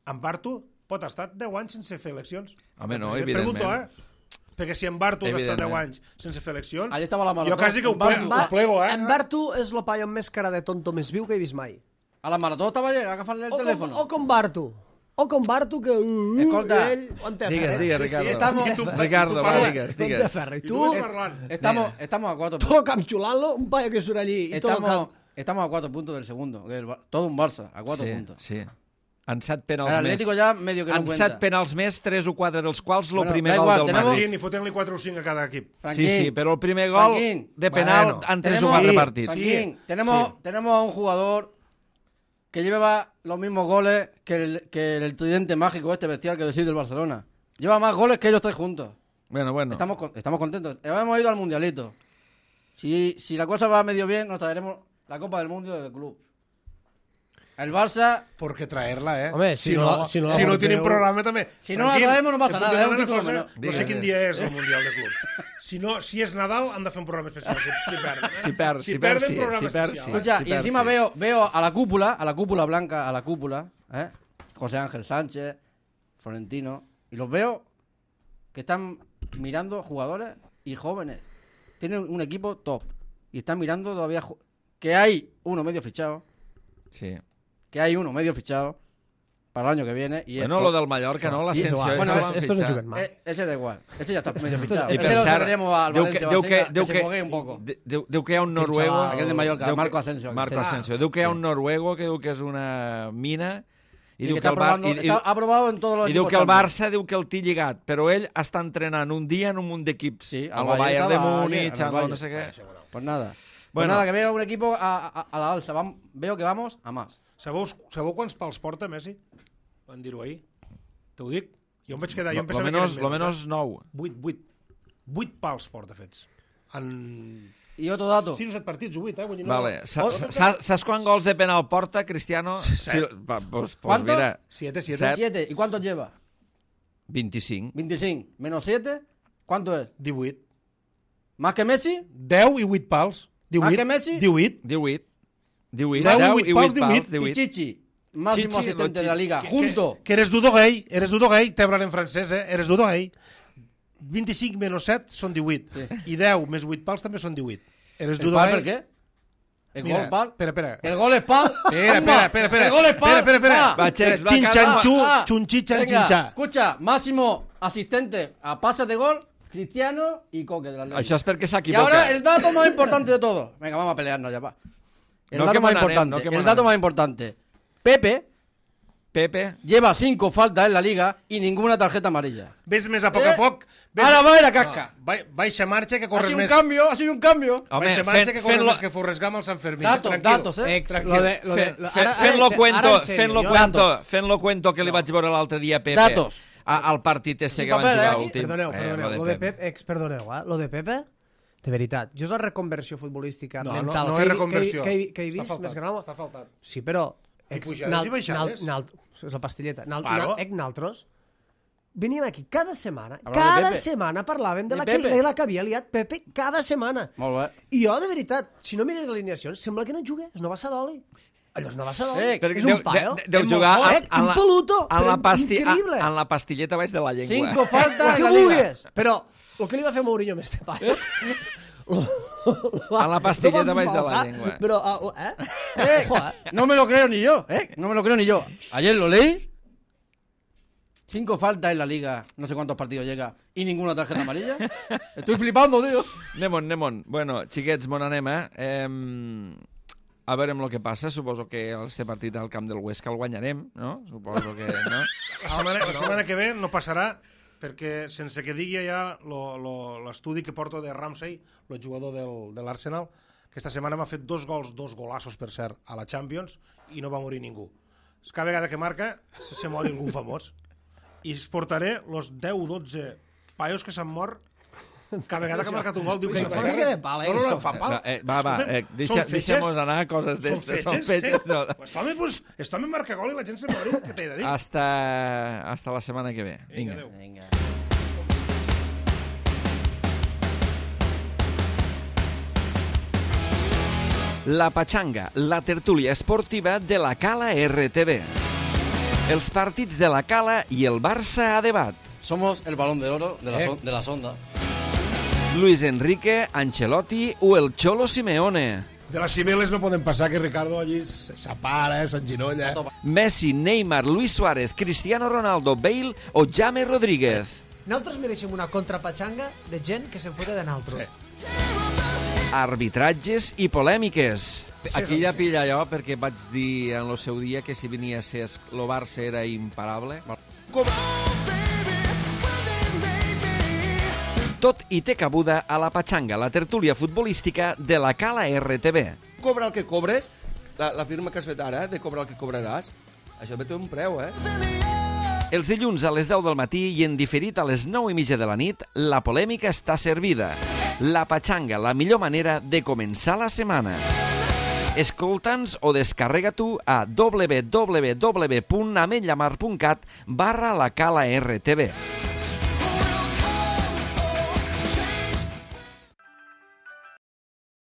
En Bartu pot estar deu anys sense fer eleccions? Home, no, Et evidentment. Pregunto, eh? Perquè si en Bartu ha d'estar deu Evidentment. anys sense fer eleccions, Allí estava la jo marató. quasi que ho, En ple, Bartu- ho plego, eh? En Bartu és el paio amb més cara de tonto més viu que he vist mai. A la marató estaba allí, agafarle el O com, teléfono. o com Bartu. O com Bartu que... Uh, Escolta. ell ho en té a Digues, fer. digues, Sí, Ricardo. estamos- I tu- Ricardo, tu va, parles. digues, No en té a digues. fer. I I tu tu, vas parlant. Estamos, estamos a cuatro puntos. todo capxulant-lo, un paio que surt allí i tot el Estamos, camp. estamos a cuatro puntos del segundo. que el Bar- todo un Barça, a cuatro Sí, puntos. sí. En set penals El més. Atlético ya medio que no En cuenta. set penals més, tres o quatre dels quals el Bueno, primer da gol igual, del tenemos- Madrid. Sí, ni fotent-li quatre o cinc a cada equip. Franquín, Sí, sí, però el primer gol Franquín. de penal Bueno, han tres o tenemos- quatre Sí, partits. Franquín, Sí, tenemos, sí. tenemos a un jugador que lleva los mismos goles que el, que el tridente mágico este bestial que decís del Barcelona. Lleva más goles que ellos tres juntos. Bueno, bueno. Estamos, con- estamos contentos. Hemos ido al Mundialito. Si, si la cosa va medio bien, nos traeremos la Copa del Mundo del club. El Barça, ¿Por qué traerla, eh? Home, si si, no no, la- si si no no, la porteu- tienen programa també. Si no la Tranquil, traemos no passa te puc nada, demanar és un una título cosa, menor. no Digues, sé quin digues. dia és el Mundial de Clubs. Si, no, si és Nadal, han de fer un programa especial, si, si perden. Eh? Si perd, si si perd, perden, sí, programa si perd, especial. sí. eh? escucha, sí, y encima sí. veo, veo a la cúpula, a la cúpula blanca, a la cúpula, ¿eh? José Ángel Sánchez, Florentino, y los veo que están mirando jugadores y jóvenes. Tienen un equipo top y están mirando todavía ju- que hay uno medio fichado Sí. que hay uno medio fichado para el año que viene. Y Bueno, esto, lo del Mallorca, no? L'Ascensió. igual. ese Bueno, lo es- han estos no fitxat. juguen más. eh, ese da igual. Ese ya está medio fichado. I Ese per lo cert, traeremos al diu que- Valencia, diu que- Valencia, diu que que- se foguee un poco. De- Diu, diu que hi ha un Aquell noruego... xaval- Aquell de Mallorca, diu que- Marco Asensio. Marco Sí. Asensio. Diu que hi ha Sí. un noruego que diu que és una mina i Sí, diu que que está el Bar... probando- i, i, está aprobado en todos los i diu equipos que el Champions. Barça diu que el té lligat, però ell està entrenant un dia en un munt d'equips. Sí, al al Bayern Bayern de estaba Múnich, ayer, al al no Bayern. sé què. Pues nada. Pues Bueno. nada, que veo un equipo a, a, a la alza. Vam- veo que vamos a más. Sabeu, sabeu quants pals porta Messi? Van dir-ho ahir. Te ho dic. Jo em vaig quedar... Jo em Lo pensava menos, que lo eren menos nou. Vuit, vuit. Vuit pals porta fets. En Y otro dato. sis o set partits, o vuit, eh? Vull dir, no... Vale. Sa- Oh, sa- Saps quants gols de penal porta, Cristiano? Sí, va, pues, pues ¿Cuántos? mira, Siete, siete. Set. siete. ¿Y cuántos lleva? vint-i-cinc. veinticinco. Menos siete. ¿Cuánto es? divuit. ¿Más que Messi? deu i vuit pals. divuit. Más que Messi? divuit. divuit. divuit. Deu i deu vuit i pals, vuit pals, divuit. divuit. Pichichi. Máximo Chichi, asistente lo de la chi- liga. Que- Junto. Que, que eres Dudo gay, eres Dudo gay, t'hablan en francès, eh? Eres Dudo gay. vint-i-cinc menys set són divuit. Sí. I deu més vuit pals també són divuit. Eres ¿El Dudo pal gay. por qué? ¿El Mira, gol pal? espera, espera. ¿El gol es pal? Espera, Tumba. espera, espera, espera. ¿El gol es pal? Espera, espera, espera. Ah. Va, Chex, va, Chin, calma. chan, chu, Ah. chun, chi, chan, Venga, chin, cha. escucha, máximo asistente a pases de gol, Cristiano y Coque de la Liga. Això és perquè Y s'equivoca. ahora el dato más importante de todo. Venga, vamos a pelearnos ya, va. El No dato que más mon anem, importante. no que el mon dato anem. más importante. Pepe Pepe, lleva cinco faltas en la liga y ninguna tarjeta amarilla. Ves més a poc Eh? a poc. Ves... Ahora va a ir a casca. No, ba- baixa marxa que Ha corres sido un més. cambio, ha sido un cambio. home, Baixa marxa fent, que corres fent-lo més que Forrest Gump al Sant Fermín. Datos, Tranquil. datos, eh. Ex, Tranquil. lo de, lo de, fent- lo- fent- ara- fent-lo ara- cuento, ara en serio, fent-lo jo- cuento, fent-lo cuento que li vaig veure l'altre dia a Pepe. Datos. A, al partit este Sí, que van paper, jugar eh? últim. Perdoneu, Eh, perdoneu, lo lo de de Pep, ex, perdoneu, eh? Lo de Pepe, de veritat, jo és la reconversió futbolística No, no, mental no que, és he- reconversió. que, he- que, he- que he Està vist faltat, més gran. està faltat. Sí, però... I pujades i baixades. nalt, és la pastilleta. Nalt, Claro. nalt, naltros veníem aquí cada setmana, Hablar de cada Pepe. setmana parlaven de, De la que, Pepe. de la que havia liat Pepe cada setmana. Molt bé. I jo, de veritat, si no mires alineacions, sembla que no juga, és una bassa d'oli. Allò és una bassa d'oli. Eh, és un paio. de, deu És jugar molt a- fort, en la, impoluto, en la, però pasti, increïble. a- en la pastilleta baix de la llengua. Cinco El faltas que en la liga. vulguis, però el que li va fer Mourinho amb este paio... A la pastilleta no va baix de la faltar, llengua. Però, uh, eh? Eh, Joder. no me lo creo ni yo, ¿eh? No me lo creo ni yo. Ayer lo leí. Cinco faltas en la liga, no sé cuántos partidos llega, y ninguna tarjeta amarilla. Estoy flipando, tío. Anem-on, anem-on. Bueno, xiquets, mon anem, eh? Em, a veure amb el que passa. Suposo que el ser partit al camp del Huesca el guanyarem, no? Suposo que, no? La setmana, la setmana que ve no passarà perquè sense que digui ja lo- lo- l'estudi que porto de Ramsey, el jugador del, de l'Arsenal, que esta setmana m'ha fet dos gols, dos golassos, per cert, a la Champions, i no va morir ningú. Cada vegada que marca se, se mor algú famós. I es portaré los deu o dotze paios que s'han mort cada vegada que ha marcat un gol. Diu que Això fa una mica de pal, eh, No, no, no, això. fa pal. Eh, va, va, eh, deixa, Són fetges. deixem-nos anar a coses Són d'estes. Són fetges, fetges. sí. No. Pues home, pues, este home marca gol i la gent se mori. Què t'he de dir? Hasta, hasta la setmana que ve. Vinga, Vinga. adéu. Venga. La Pachanga, la tertúlia esportiva de la Cala R T V. Els partits de la Cala i el Barça a debat. Somos el balón de oro de, la Eh. son- de las ondas. Luis Enrique, Ancelotti o el Cholo Simeone. De les cimeles no poden passar que Ricardo allí s'apara, eh, s'enginolla. Messi, Neymar, Luis Suárez, Cristiano Ronaldo, Bale o James Rodríguez. Nosaltres mereixem una contrapatxanga de gent que se'n fota de naltro. Arbitratges i polèmiques. Aquí ja pilla jo, perquè vaig dir en el seu dia que si venia a ser el Barça era imparable. Tot hi té cabuda a la Pachanga, la tertúlia futbolística de la Cala R T V. Cobra el que cobres, la, la firma que has fet ara, eh, de cobrar el que cobraràs, això també té un preu, eh? Els dilluns a les deu del matí i en diferit a les nou i mitja de la nit, la polèmica està servida. La Pachanga, la millor manera de començar la setmana. Escolta'ns o descarrega tu a w w w punt ametllamar punt cat barra la Cala R T V.